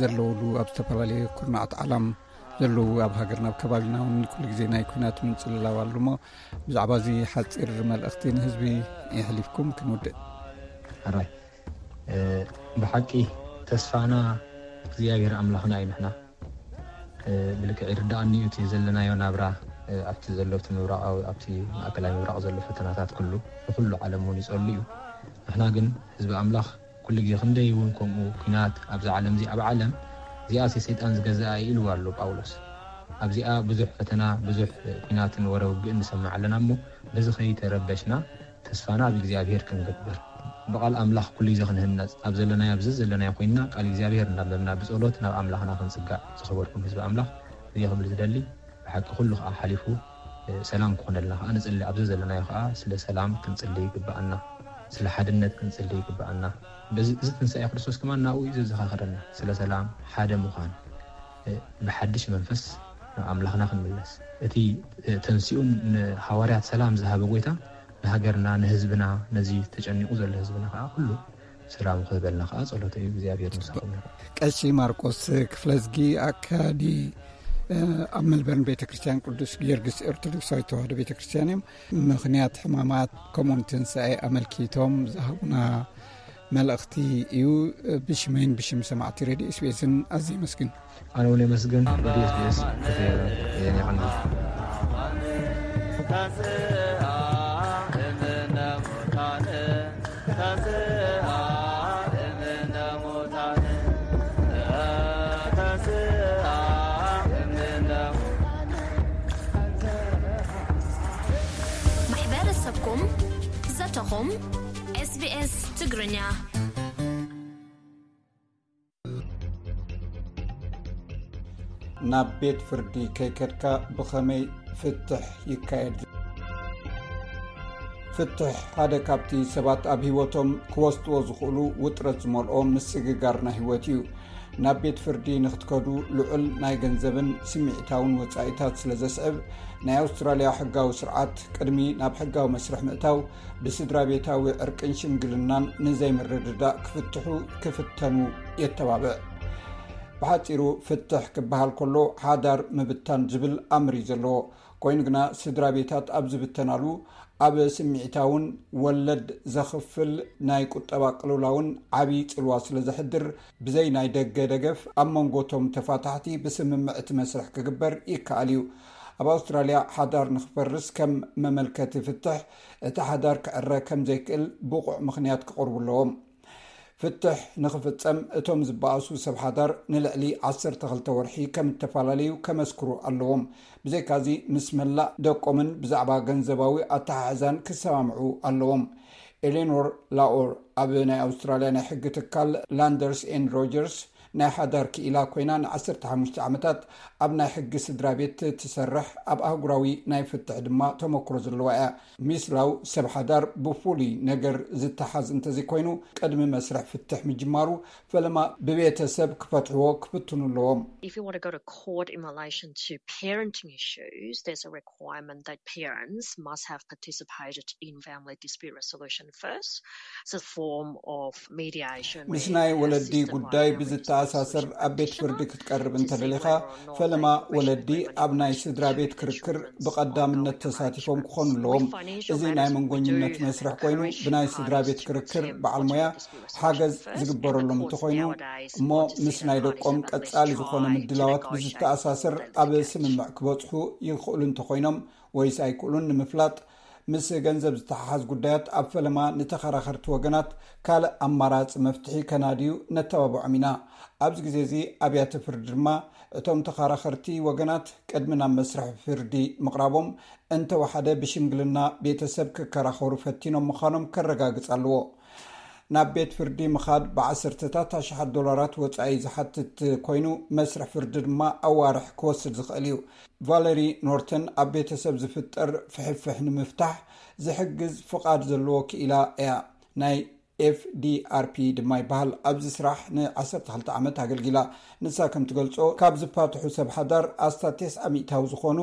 ዘለውሉ ኣብ ዝተፈላለየ ኩርናዓት ዓለም ዘለዉ ኣብ ሃገርና ኣብ ከባቢና እውን ኩሉ ግዜ ናይ ኩናት ምንጽልላው ኣሎ እሞ፣ ብዛዕባ እዚ ሓጺር መልእኽቲ ንህዝቢ የሕሊፍኩም ክንውድእ። ሕራይ ብሓቂ ተስፋና እግዚኣብሔር ኣምላኽና እዩ። ንሕና ብልክዕ ይርዳኣኒ እዩ እቲ ዘለናዮ ናብራ ኣብቲ ዘሎ ኣብቲ ምብራቃዊ ኣብቲ ማእከላይ ምብራቅ ዘሎ ፈተናታት ኩሉ ንኩሉ ዓለም እውን ይጸሉ እዩ። ንሕና ግን ህዝቢ ኣምላኽ ኩሉ ግዜ ክንደይ እውን ከምኡ ኩናት ኣብዛ ዓለም እዚ ኣብ ዓለም እዚኣ ሰይጣን ዝገዝኣ ኢልዋ ኣሎ ጳውሎስ። ኣብዚኣ ብዙሕ ፈተና ብዙሕ ኩናትን ወረ ውግእን ንሰምዕ ኣለና እሞ በዚ ከይተረበሽና ተስፋና ኣብ እግዚኣብሔር ክንገብር ብቓል ኣምላኽ ኩሉ ግዜ ክንህነጽ ኣብ ዘለናዮ ኣብዚ ዘለናዮ ኮይንና ቃል እግዚኣብሔር እናንበብና ብጸሎት ናብ ኣምላኽና ክንጽጋዕ። ዝኸበርኩም ህዝቢ ኣምላኽ እዚ ክብል ዝደሊ ብሓቂ ኩሉ ከዓ ሓሊፉ ሰላም ክኾነልና ከዓ ንጽሊ ኣብዚ ዘለናዮ ከዓ ስለ ሰላም ክንጽሊ ይግብኣና። ስለ ሓድነት ክንጽሊ ይግብኣና። በዚ እዚ ትንሳኤ ክርስቶስ ከማን ናብኡ እዩ ዘዘኻኽረና ስለ ሰላም ሓደ ምዃን ብሓድሽ መንፈስ ናብ ኣምላኽና ክንምለስ እቲ ተንሲኡ ንሃዋርያት ሰላም ዝሃበ ጎይታ ንሃገርና ንህዝብና ነዚ ተጨኒቑ ዘሎ ህዝብና ከዓ ኩሉ ሰላም ክህበልና ከዓ ጸሎተ እዩ። እግዚኣብሔር ምሳኹም ይኹን። ቀሺ ማርቆስ ክፍለዝጊ ኣካዲ ኣብ መልበርን ቤተ ክርስቲያን ቅዱስ ጊዮርጊስ ኦርቶዶክሳዊት ተዋህዶ ቤተ ክርስቲያን እዮም። ምኽንያት ሕማማት ከምኡውን ትንሳኤ ኣመልኪቶም ዝሃቡና መልእኽቲ እዩ። ብሽመይን ብሽም ሰማዕቲ ሬድዮ ኤስቢኤስን ኣዝየ መስግን። ኣነ እውን የመስግን። ሬድዮ ኤስቢኤስ ክትየቀኒ። ማሕበረሰብኩም ዘተኹም ኤስቢኤስ ትግርኛ። ናብ ቤት ፍርዲ ከይከድካ ብኸመይ ፍትሕ ይካየድ? ፍትሕ ሓደ ካብቲ ሰባት ኣብ ህይወቶም ክወስድዎ ዝኽእሉ ውጥረት ዝመልኦ ምስግጋር ናይ ህይወት እዩ። ናብ ቤት ፍርዲ ንኽትከዱ ልዑል ናይ ገንዘብን ስምዒታውን ወጻኢታት ስለ ዘስዕብ፣ ናይ ኣውስትራልያ ሕጋዊ ስርዓት ቅድሚ ናብ ሕጋዊ መስርሕ ምእታው ብስድራ ቤታዊ ዕርቅን ሽምግልናን ንዘይምርድዳእ ክፍትሑ ክፍተኑ የተባብዕ። ብሓጺሩ ፍትሕ ክበሃል ከሎ ሓዳር ምብታን ዝብል ኣምር እዩ ዘለዎ። ኮይኑ ግና ስድራ ቤታት ኣብ ዝብተናሉ ኣብ ስምዒታውን ወለድ ዘኽፍል ናይ ቁጠባ ቅልውላውን ዓብዪ ጽልዋ ስለ ዘሕድር፣ ብዘይ ናይ ደገ ደገፍ ኣብ መንጎቶም ተፋታሕቲ ብስምምዕ እቲ መስርሕ ክግበር ይከኣል እዩ። ኣብ ኣውስትራልያ ሓዳር ንኽፈርስ ከም መመልከቲ ፍትሕ፣ እቲ ሓዳር ክዕረ ከም ዘይክእል ብቑዕ ምኽንያት ክቕርቡ ኣለዎም። ፍትሕ ንኽፍጸም፣ እቶም ዝበኣሱ ሰብ ሓዳር ንልዕሊ ዓሰርተ ክልተ ወርሒ ከም እተፈላለዩ ከመስክሩ ኣለዎም። ብዘይካዚ፣ ምስ መላእ ደቆምን ብዛዕባ ገንዘባዊ ኣተሓሕዛን ክሰማምዑ ኣለዎም። ኤሌኖር ላኦር ኣብ ናይ ኣውስትራልያ ናይ ሕጊ ትካል ላንደርስ ኤንድ ሮጀርስ ናይ ሓዳር ክኢላ ኮይና፣ ን15 ዓመታት ኣብ ናይ ሕጊ ስድራ ቤት ትሰርሕ፣ ኣብ ኣህጉራዊ ናይ ፍትሕ ድማ ተመክሮ ዘለዋ እያ። ሚስ ላው፣ ሰብ ሓዳር ብፍሉይ ነገር ዝተሓዝ እንተዘይኮይኑ፣ ቅድሚ መስርሕ ፍትሕ ምጅማሩ፣ ፈለማ ብቤተሰብ ክፈትሕዎ ክፍትኑ ኣለዎም። If you want to go to court in relation to parenting issues, there's a requirement that parents must have participated in family dispute resolution first. It's a form of mediation. ምስ ናይ ወለዲ ጉዳይ ብዝተኣሳሰር ኣብ ቤት ፍርዲ ክትቀርብ እንተደሊኻ፣ ፈለማ ወለዲ ኣብ ናይ ስድራ ቤት ክርክር ብቐዳምነት ተሳቲፎም ክኾኑ ኣለዎም። እዚ ናይ መንጎኝነት መስርሕ ኮይኑ፣ ብናይ ስድራ ቤት ክርክር በዓል ሞያ ሓገዝ ዝግበረሎም እንተኾይኑ፣ እሞ ምስ ናይ ደቆም ቀጻሊ ዝኾነ ምድላዋት ብዝተኣሳሰር ኣብ ስምምዕ ክበጽሑ ይኽእሉ እንተኾይኖም ወይስ ኣይክእሉን ንምፍላጥ፣ ምስ ገንዘብ ዝተሓሓዝ ጉዳያት ኣብ ፈለማ ንተኸራኸርቲ ወገናት ካልእ ኣማራጺ መፍትሒ ከናድዩ ነተባብዖም ኢና። ኣብዚ ግዜ እዚ ኣብያተ ፍርዲ ድማ እቶም ተኸራኸርቲ ወገናት ቅድሚ ናብ መስርሕ ፍርዲ ምቕራቦም፣ እንተወሓደ ብሽምግልና ቤተሰብ ክከራኸሩ ፈቲኖም ምዃኖም ከረጋግጽ ኣለዎ። ናብ ቤት ፍርዲ ምኻድ ብዓሰርተታት ኣሽሓት ዶላራት ወጻኢ ዝሓትት ኮይኑ፣ መስርሕ ፍርዲ ድማ ኣዋርሕ ክወስድ ዝኽእል እዩ። ቫለሪ ኖርተን ኣብ ቤተሰብ ዝፍጠር ፍሕፍሕ ንምፍታሕ ዝሕግዝ ፍቓድ ዘለዎ ክኢላ እያ። ናይ ኤፍዲኣርፒ ድማ ይበሃል። ኣብዚ ስራሕ ን12 ዓመት ኣገልጊላ። ንሳ ከም ትገልጾ፣ ካብ ዝፋትሑ ሰብ ሓዳር ኣስታት ተስዓ ሚእታዊ ዝኾኑ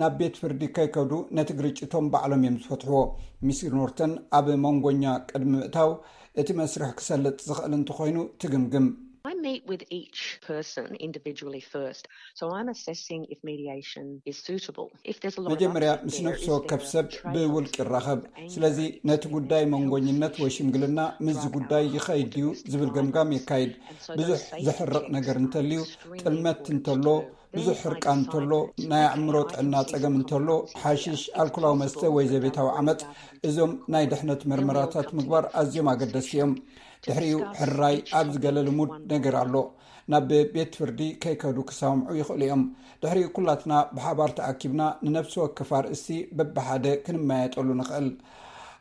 ናብ ቤት ፍርዲ ከይከዱ ነቲ ግርጭቶም ባዕሎም እዮም ዝፈትሕዎ። ሚስ ኖርተን ኣብ መንጎኛ ቅድሚ ምእታው እቲ መስርሕ ክሰልጥ ዝኽእል እንተኾይኑ ትግምግም። I meet with each person individually first. So I'm assessing if mediation is suitable. If there's a lot of መጀመርያ upset ምስ there, ነፍሲ is ወከፍ there a ሰብ trade-off? ብውልቂ ይራኸብ። ስለዚ ነቲ ጉዳይ መንጎኝነት ወይ ሽምግልና ምስዚ ጉዳይ ይኸይድ ድዩ ዝብል ገምጋም የካይድ። ብዙሕ ዘሕርቕ ነገር እንተልዩ፣ ጥልመት እንተሎ፣ ብዙሕ ሕርቃን እንተሎ፣ ናይ ኣእምሮ ጥዕና ጸገም እንተሎ፣ ሓሽሽ፣ ኣልኮላዊ መስተ ወይ ዘቤታዊ ዓመጽ፣ እዞም ናይ ድሕነት መርመራታት ምግባር ኣዝዮም ኣገደስቲ እዮም። ድሕሪኡ ሕራይ ኣብዚ ገለ ልሙድ ነገር ኣሎ። ናብ ቤት ፍርዲ ከይከዱ ክሰማምዑ ይኽእሉ እዮም። ድሕሪኡ ኩላትና ብሓባር ተኣኪብና ንነፍሲ ወከፍ ኣርእስቲ በብሓደ ክንመያየጠሉ ንኽእል።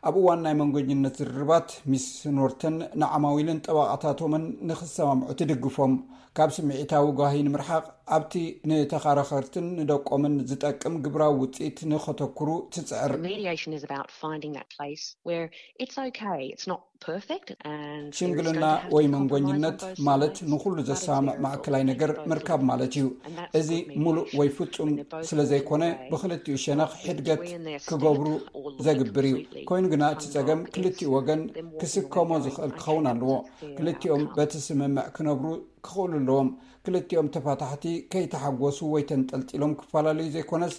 ኣብ እዋን ናይ መንጎኝነት ዝርርባት ሚስ ኖርተን ንዓማዊልን ጠበቓታቶምን ንኽሰማምዑ ትድግፎም። ካብ ስምዒታዊ ጓሂ ንምርሓቕ ኣብቲ ንተኻራኸርትን ንደቆምን ዝጠቅም ግብራዊ ውጽኢት ንኸተኩሩ ትጽዕር። Mediation is about finding that place where it's okay, it's not perfect, and there is ሽምግልና going to have ወይ to be መንጎኝነት compromise on both ማለት sides, ንኹሉ but it's ዘሰማምዕ their ማእከላይ ነገር responsibility ምርካብ to ማለት እዩ። both እዚ sides. ሙሉእ ወይ ፍጹም When they're both ስለ ዘይኮነ walking away, ብኽልቲኡ ሸነኽ ሕድገት between their ክገብሩ step ዘግብር እዩ። completely ኮይኑ ግና እቲ ጸገም unlock, ክልቲኡ it's ወገን them walking ክስከሞ away going, ዝኽእል "I ክኸውን cannot ኣለዎ። accept their ክልቲኦም outcome." በቲ ስምምዕ ክነብሩ ክኽእሉ ኣለዎም። ክልቲኦም ተፋታሕቲ ከይተሓጎሱ ወይ ተንጠልጢሎም ክፈላለዩ ዘይኮነስ፣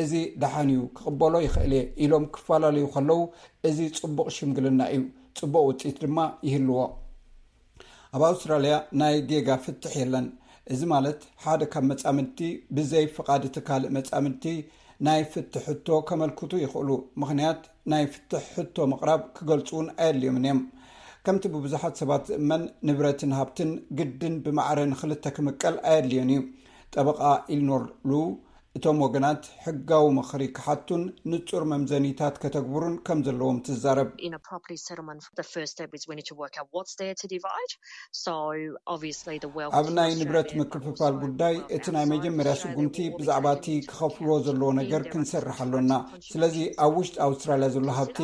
እዚ ደሓን እዩ ክቕበሎ ይኽእል እየ ኢሎም ክፈላለዩ ከለዉ፣ እዚ ጽቡቕ ሽምግልና እዩ፣ ጽቡቕ ውጽኢት ድማ ይህልዎ። ኣብ ኣውስትራልያ ናይ ጌጋ ፍትሕ የለን። እዚ ማለት ሓደ ካብ መጻምድቲ ብዘይ ፍቓድ እቲ ካልእ መጻምድቲ ናይ ፍትሕ ሕቶ ከመልክቱ ይኽእሉ። ምኽንያት ናይ ፍትሕ ሕቶ ምቕራብ ክገልጹ እውን ኣየድልዮምን እዮም። ከምቲ ብብዙሓት ሰባት ዝእመን፣ ንብረትን ሃብትን ግድን ብማዕረ ንኽልተ ክምቀል ኣየድልዮን እዩ። ጠበቓ ኢልኖር ሉ፣ እቶም ወገናት ሕጋዊ ምኽሪ ክሓቱን ንጹር መምዘኒታት ከተግብሩን ከም ዘለዎም ትዛረብ። In a property settlement, the first step is we need to work out what's there to divide. So obviously the wealth ኣብ ናይ ንብረት ምክፍፋል ጉዳይ እቲ ናይ መጀመርያ ስጉምቲ ብዛዕባ እቲ ክኸፍልዎ ዘለዎ ነገር ክንሰርሕ ኣሎና። ስለዚ ኣብ ውሽጢ ኣውስትራልያ ዘሎ ሃብቲ፣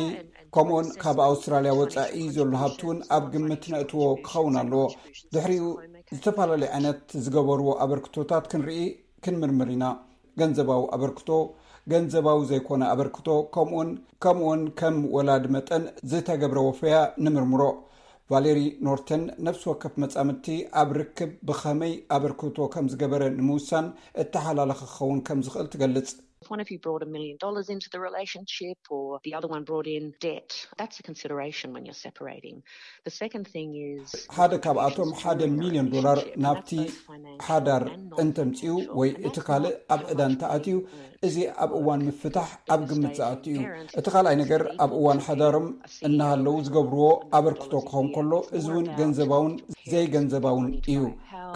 ከምኡውን ካብ ኣውስትራልያ ወጻኢ ዘሎ ሃብቲ እውን ኣብ ግምት ነእትዎ ክኸውን ኣለዎ። ድሕሪኡ ዝተፈላለዩ ዓይነት ዝገበርዎ ኣበርክቶታት ክንርኢ ክንምርምር ኢና። ገንዘባዊ ኣበርክቶ፣ ገንዘባዊ ዘይኮነ ኣበርክቶ፣ ከምኡውን ከምኡውን ከም ወላዲ መጠን ዝተገብረ ወፈያ ንምርምሮ። ቫሌሪ ኖርተን ነፍሲ ወከፍ መጻምድቲ ኣብ ርክብ ብኸመይ ኣበርክቶ ከም ዝገበረ ንምውሳን እተሓላለኸ ክኸውን ከም ዝኽእል ትገልጽ። One of you brought a million dollars into the relationship, or the other one brought in debt. That's a consideration when you're separating. The second thing is ሓደ ካብኣቶም ሓደ ሚሊዮን ዶላር ናብቲ ሓዳር እንተምፅኡ ወይ እቲ ካልእ ኣብ ዕዳ እንተኣትዩ፣ እዚ ኣብ እዋን ምፍታሕ ኣብ ግምት ዝኣቱ እዩ። እቲ ካልኣይ ነገር፣ ኣብ እዋን ሓዳሮም እናሃለዉ ዝገብርዎ ኣበርክቶ ክኸውን ከሎ፣ እዚ እውን ገንዘባውን ዘይገንዘባውን እዩ።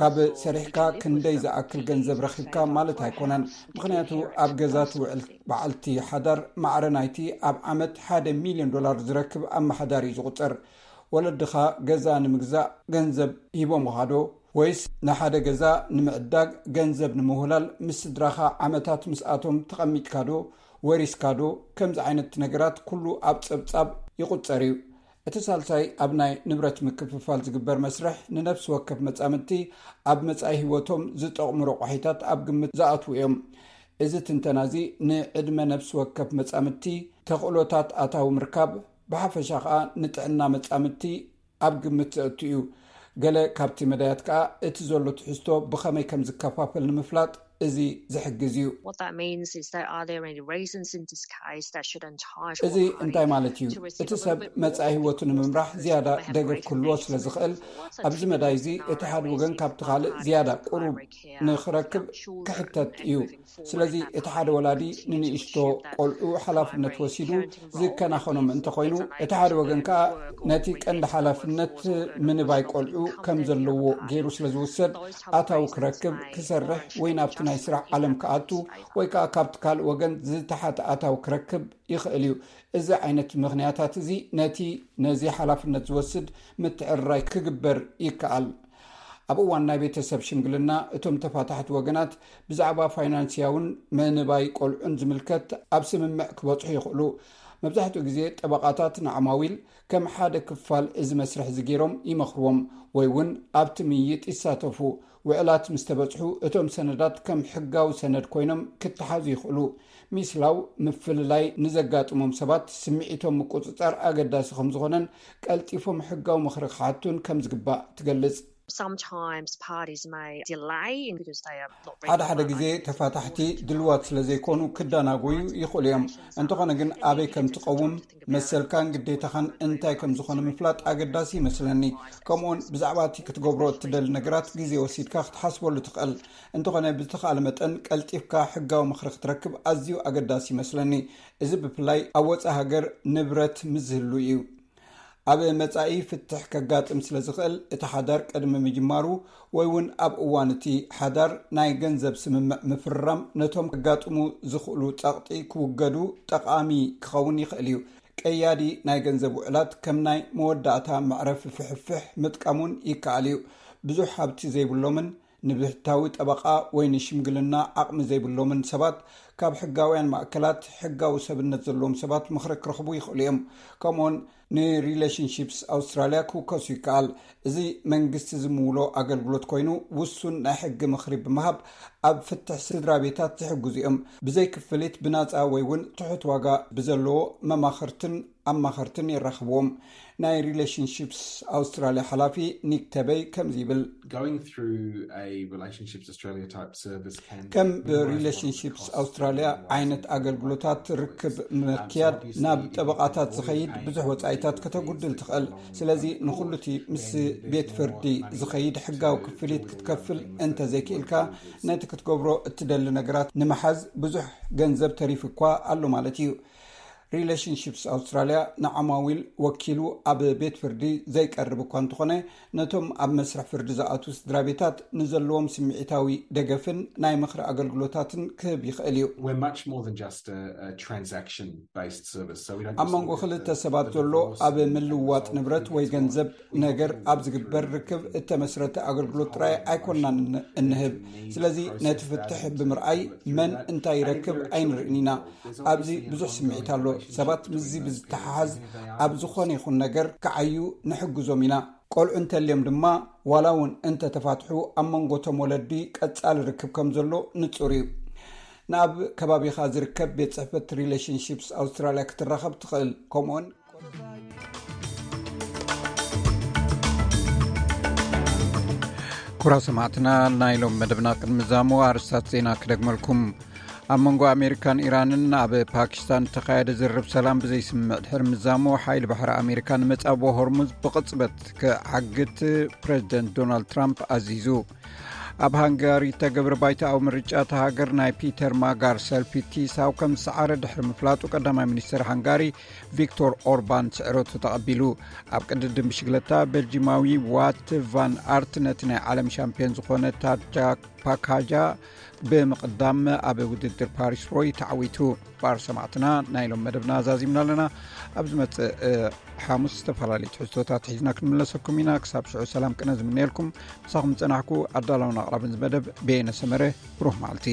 ካብ ሰሪሕካ ክንደይ ዝኣክል ገንዘብ ረኺብካ ማለት ኣይኮነን። ምኽንያቱ ኣብ ገዛ ትውዕል በዓልቲ ሓዳር ማዕረ ናይቲ ኣብ ዓመት ሓደ ሚሊዮን ዶላር ዝረክብ ኣመሓዳሪ እዩ ዝቑጸር። ወለድኻ ገዛ ንምግዛእ ገንዘብ ሂቦምኻ ዶ? ወይስ ንሓደ ገዛ ንምዕዳግ ገንዘብ ንምውህላል ምስ ስድራኻ ዓመታት ምስኣቶም ተቐሚጥካ ዶ? ወሪስካ ዶ? ከምዚ ዓይነት ነገራት ኩሉ ኣብ ጸብጻብ ይቑጸር እዩ። እቲ ሳልሳይ ኣብ ናይ ንብረት ምክፍፋል ዝግበር መስርሕ ንነፍሲ ወከፍ መጻምድቲ ኣብ መጻኢ ህይወቶም ዝጠቕሙ ረቋሒታት ኣብ ግምት ዝኣትዉ እዮም። እዚ ትንተና እዚ ንዕድመ ነፍሲ ወከፍ መጻምድቲ፣ ተኽእሎታት ኣታዊ ምርካብ፣ ብሓፈሻ ከኣ ንጥዕና መጻምድቲ ኣብ ግምት ዘእቱ እዩ። ገለ ካብቲ መዳያት ከኣ እቲ ዘሎ ትሕዝቶ ብኸመይ ከም ዝከፋፈል ንምፍላጥ እዚ ዝሕግዝ እዩ። What that means is that are there any reasons in this case that should entitle እዚ እንታይ ማለት እዩ? እቲ ሰብ መጻኢ ህይወቱ ንምምራሕ ዝያዳ ደገፍ ክህልዎ ስለ ዝኽእል፣ ኣብዚ መዳይ እዚ እቲ ሓደ ወገን ካብቲ ካልእ ዝያዳ ቁሩብ ንኽረክብ ክሕተት እዩ። ስለዚ እቲ ሓደ ወላዲ ንንእሽቶ ቆልዑ ሓላፍነት ወሲዱ ዝከናኸኖም እንተኾይኑ፣ እቲ ሓደ ወገን ከኣ ነቲ ቀንዲ ሓላፍነት ምንባይ ቆልዑ ከም ዘለዎ ገይሩ ስለ ዝውሰድ፣ ኣታዊ ክረክብ፣ ክሰርሕ ወይ ናብቲ ናይ ስራሕ ዓለም ክኣቱ ወይ ከኣ ካብቲ ካልእ ወገን ዝተሓተ ኣታዊ ክረክብ ይኽእል እዩ። እዚ ዓይነት ምኽንያታት እዚ ነቲ ነዚ ሓላፍነት ዝወስድ ምትዕርራይ ክግበር ይከኣል። ኣብ እዋን ናይ ቤተሰብ ሽምግልና እቶም ተፋታሕቲ ወገናት ብዛዕባ ፋይናንስያውን ምንባይ ቆልዑን ዝምልከት ኣብ ስምምዕ ክበጽሑ ይኽእሉ። መብዛሕትኡ ግዜ ጠበቓታት ንዓማዊል ከም ሓደ ክፋል እዚ መስርሕ እዚ ገይሮም ይመኽርዎም ወይ እውን ኣብቲ ምይይጥ ይሳተፉ። ውዕላት ምስ ተበጽሑ እቶም ሰነዳት ከም ሕጋዊ ሰነድ ኮይኖም ክተሓዙ ይኽእሉ። ሚስላው ምፍልላይ ንዘጋጥሞም ሰባት ስምዒቶም ምቁጽጻር ኣገዳሲ ከም ዝኾነን ቀልጢፎም ሕጋዊ ምኽሪ ክሓቱን ከም ዝግባእ ትገልጽ። Sometimes parties may delay because they are not ready ሓደ ሓደ ግዜ ተፋታሕቲ ድልዋት ስለ ዘይኮኑ ክደናጎዩ ይኽእሉ እዮም። እንተኾነ ግን ኣበይ ከም ትቐውም መሰልካን ግዴታኻን እንታይ ከም ዝኾነ ምፍላጥ ኣገዳሲ ይመስለኒ። ከምኡውን ብዛዕባ እቲ ክትገብሮ እትደሊ ነገራት ግዜ ወሲድካ ክትሓስበሉ ትኽእል። እንተኾነ ብዝተኻለ መጠን ቀልጢፍካ ሕጋዊ ምኽሪ ክትረክብ ኣዝዩ ኣገዳሲ ይመስለኒ። እዚ ብፍላይ ኣብ ወጻኢ ሃገር ንብረት ምስ ዝህሉ እዩ። ኣብ መጻኢ ፍትሕ ከጋጥም ስለ ዝኽእል፣ እቲ ሓዳር ቅድሚ ምጅማሩ ወይ እውን ኣብ እዋን እቲ ሓዳር ናይ ገንዘብ ስምምዕ ምፍርራም ነቶም ከጋጥሙ ዝኽእሉ ጸቕጢ ክውገዱ ጠቓሚ ክኸውን ይኽእል እዩ። ቀያዲ ናይ ገንዘብ ውዕላት ከም ናይ መወዳእታ መዕረፊ ፍሕፍሕ ምጥቃም እውን ይከኣል እዩ። ብዙሕ ሃብቲ ዘይብሎምን ንብሕታዊ ጠበቓ ወይ ንሽምግልና ዓቕሚ ዘይብሎምን ሰባት ካብ ሕጋውያን ማእከላት ሕጋዊ ሰብነት ዘለዎም ሰባት ምኽሪ ክረኽቡ ይኽእሉ እዮም። ከምኡውን ንሪሌሽንሺፕስ ኣውስትራልያ ክውከሱ ይከኣል። እዚ መንግስቲ ዝምውሎ ኣገልግሎት ኮይኑ ውሱን ናይ ሕጊ ምኽሪ ብምሃብ ኣብ ፍትሕ ስድራ ቤታት ዝሕግዙ እዮም። ብዘይ ክፍሊት ብናጻ ወይ እውን ትሑት ዋጋ ብዘለዎ መማኽርትን ኣማኸርትን የራኽብዎም። ናይ ሪሌሽንሺፕስ ኣውስትራልያ ሓላፊ ኒክ ተበይ ከምዚ ይብል። Going through a Relationships Australia type service can ከም ብሪሌሽንሺፕስ ኣውስትራልያ ዓይነት ኣገልግሎታት ርክብ ምክያድ ናብ ጠበቓታት ዝኸይድ ብዙሕ ወጻኢታት ከተጉድል ትኽእል። ስለዚ ንኹሉ እቲ ምስ ቤት ፍርዲ ዝኸይድ ሕጋዊ ክፍሊት ክትከፍል እንተዘይክኢልካ፣ ነቲ ክትገብሮ እትደሊ ነገራት ንምሓዝ ብዙሕ ገንዘብ ተሪፉ እኳ ኣሎ ማለት እዩ። ሪሌሽንሺፕስ ኣውስትራልያ ንዓማዊል ወኪሉ ኣብ ቤት ፍርዲ ዘይቀርብ እኳ እንተኾነ፣ ነቶም ኣብ መስርሕ ፍርዲ ዝኣትዉ ስድራ ቤታት ንዘለዎም ስምዒታዊ ደገፍን ናይ ምኽሪ ኣገልግሎታትን ክህብ ይኽእል እዩ። We're much more than just a, a transaction based service. So we don't ኣብ መንጎ ክልተ ሰባት ዘሎ ኣብ ምልውዋጥ ንብረት ወይ ገንዘብ ነገር ኣብ ዝግበር ርክብ እተመስረተ ኣገልግሎት ጥራይ ኣይኮንናን እንህብ። ስለዚ ነቲ ፍትሕ ብምርኣይ መን እንታይ ይረክብ ኣይንርእን ኢና። ኣብዚ ብዙሕ ስምዒት ኣሎ። ሰባት ምስዚ ብዝተሓሓዝ ኣብ ዝኾነ ይኹን ነገር ክዓዩ ንሕግዞም ኢና። ቆልዑ እንተልዮም ድማ ዋላ እውን እንተተፋትሑ ኣብ መንጎ እቶም ወለዲ ቀጻሊ ርክብ ከም ዘሎ ንጹር እዩ። ንኣብ ከባቢኻ ዝርከብ ቤት ጽሕፈት ሪሌሽንሺፕስ ኣውስትራልያ ክትራኸብ ትኽእል። ከምኡውን ኩራ ሰማዕትና ናይ ሎም መደብና ቅድሚ ዛሞ ኣርስታት ዜና ክደግመልኩም። ኣብ መንጎ ኣሜሪካን ኢራንን ኣብ ፓኪስታን እተኻየደ ዝርብ ሰላም ብዘይስምምዕ ድሕሪ ምዛሙ፣ ሓይሊ ባሕሪ ኣሜሪካ ንመጻብቦ ሆርሙዝ ብቕጽበት ክዓግት ፕሬዚደንት ዶናልድ ትራምፕ ኣዚዙ። ኣብ ሃንጋሪ እተገብረ ባይታኣዊ ምርጫ እታ ሃገር ናይ ፒተር ማጋር ሰልፊ ቲሳው ከም ዝሰዓረ ድሕሪ ምፍላጡ፣ ቀዳማይ ሚኒስትር ሃንጋሪ ቪክቶር ኦርባን ስዕረቱ ተቐቢሉ። ኣብ ቅድድም ብሽግለታ፣ ቤልጂማዊ ዋት ቫን ኣርት ነቲ ናይ ዓለም ሻምፒዮን ዝኾነ ታጃ ፓካጃ ብምቕዳም ኣብ ውድድር ፓሪስ ሮይ ተዓዊቱ። ባር ሰማዕትና፣ ናይ ሎም መደብና ዛዚምና ኣለና። ኣብ ዝመጽእ ሓሙስ ዝተፈላለዩ ትሕዝቶታት ሒዝና ክንምለሰኩም ኢና። ክሳብ ሽዑ ሰላም ቅነ ዝምነየልኩም። ምሳኹም ዝጸናሕኩ ኣዳላውን ኣቕራብን ዝመደብ በየነ ሰመረ። ብሩህ መዓልቲ።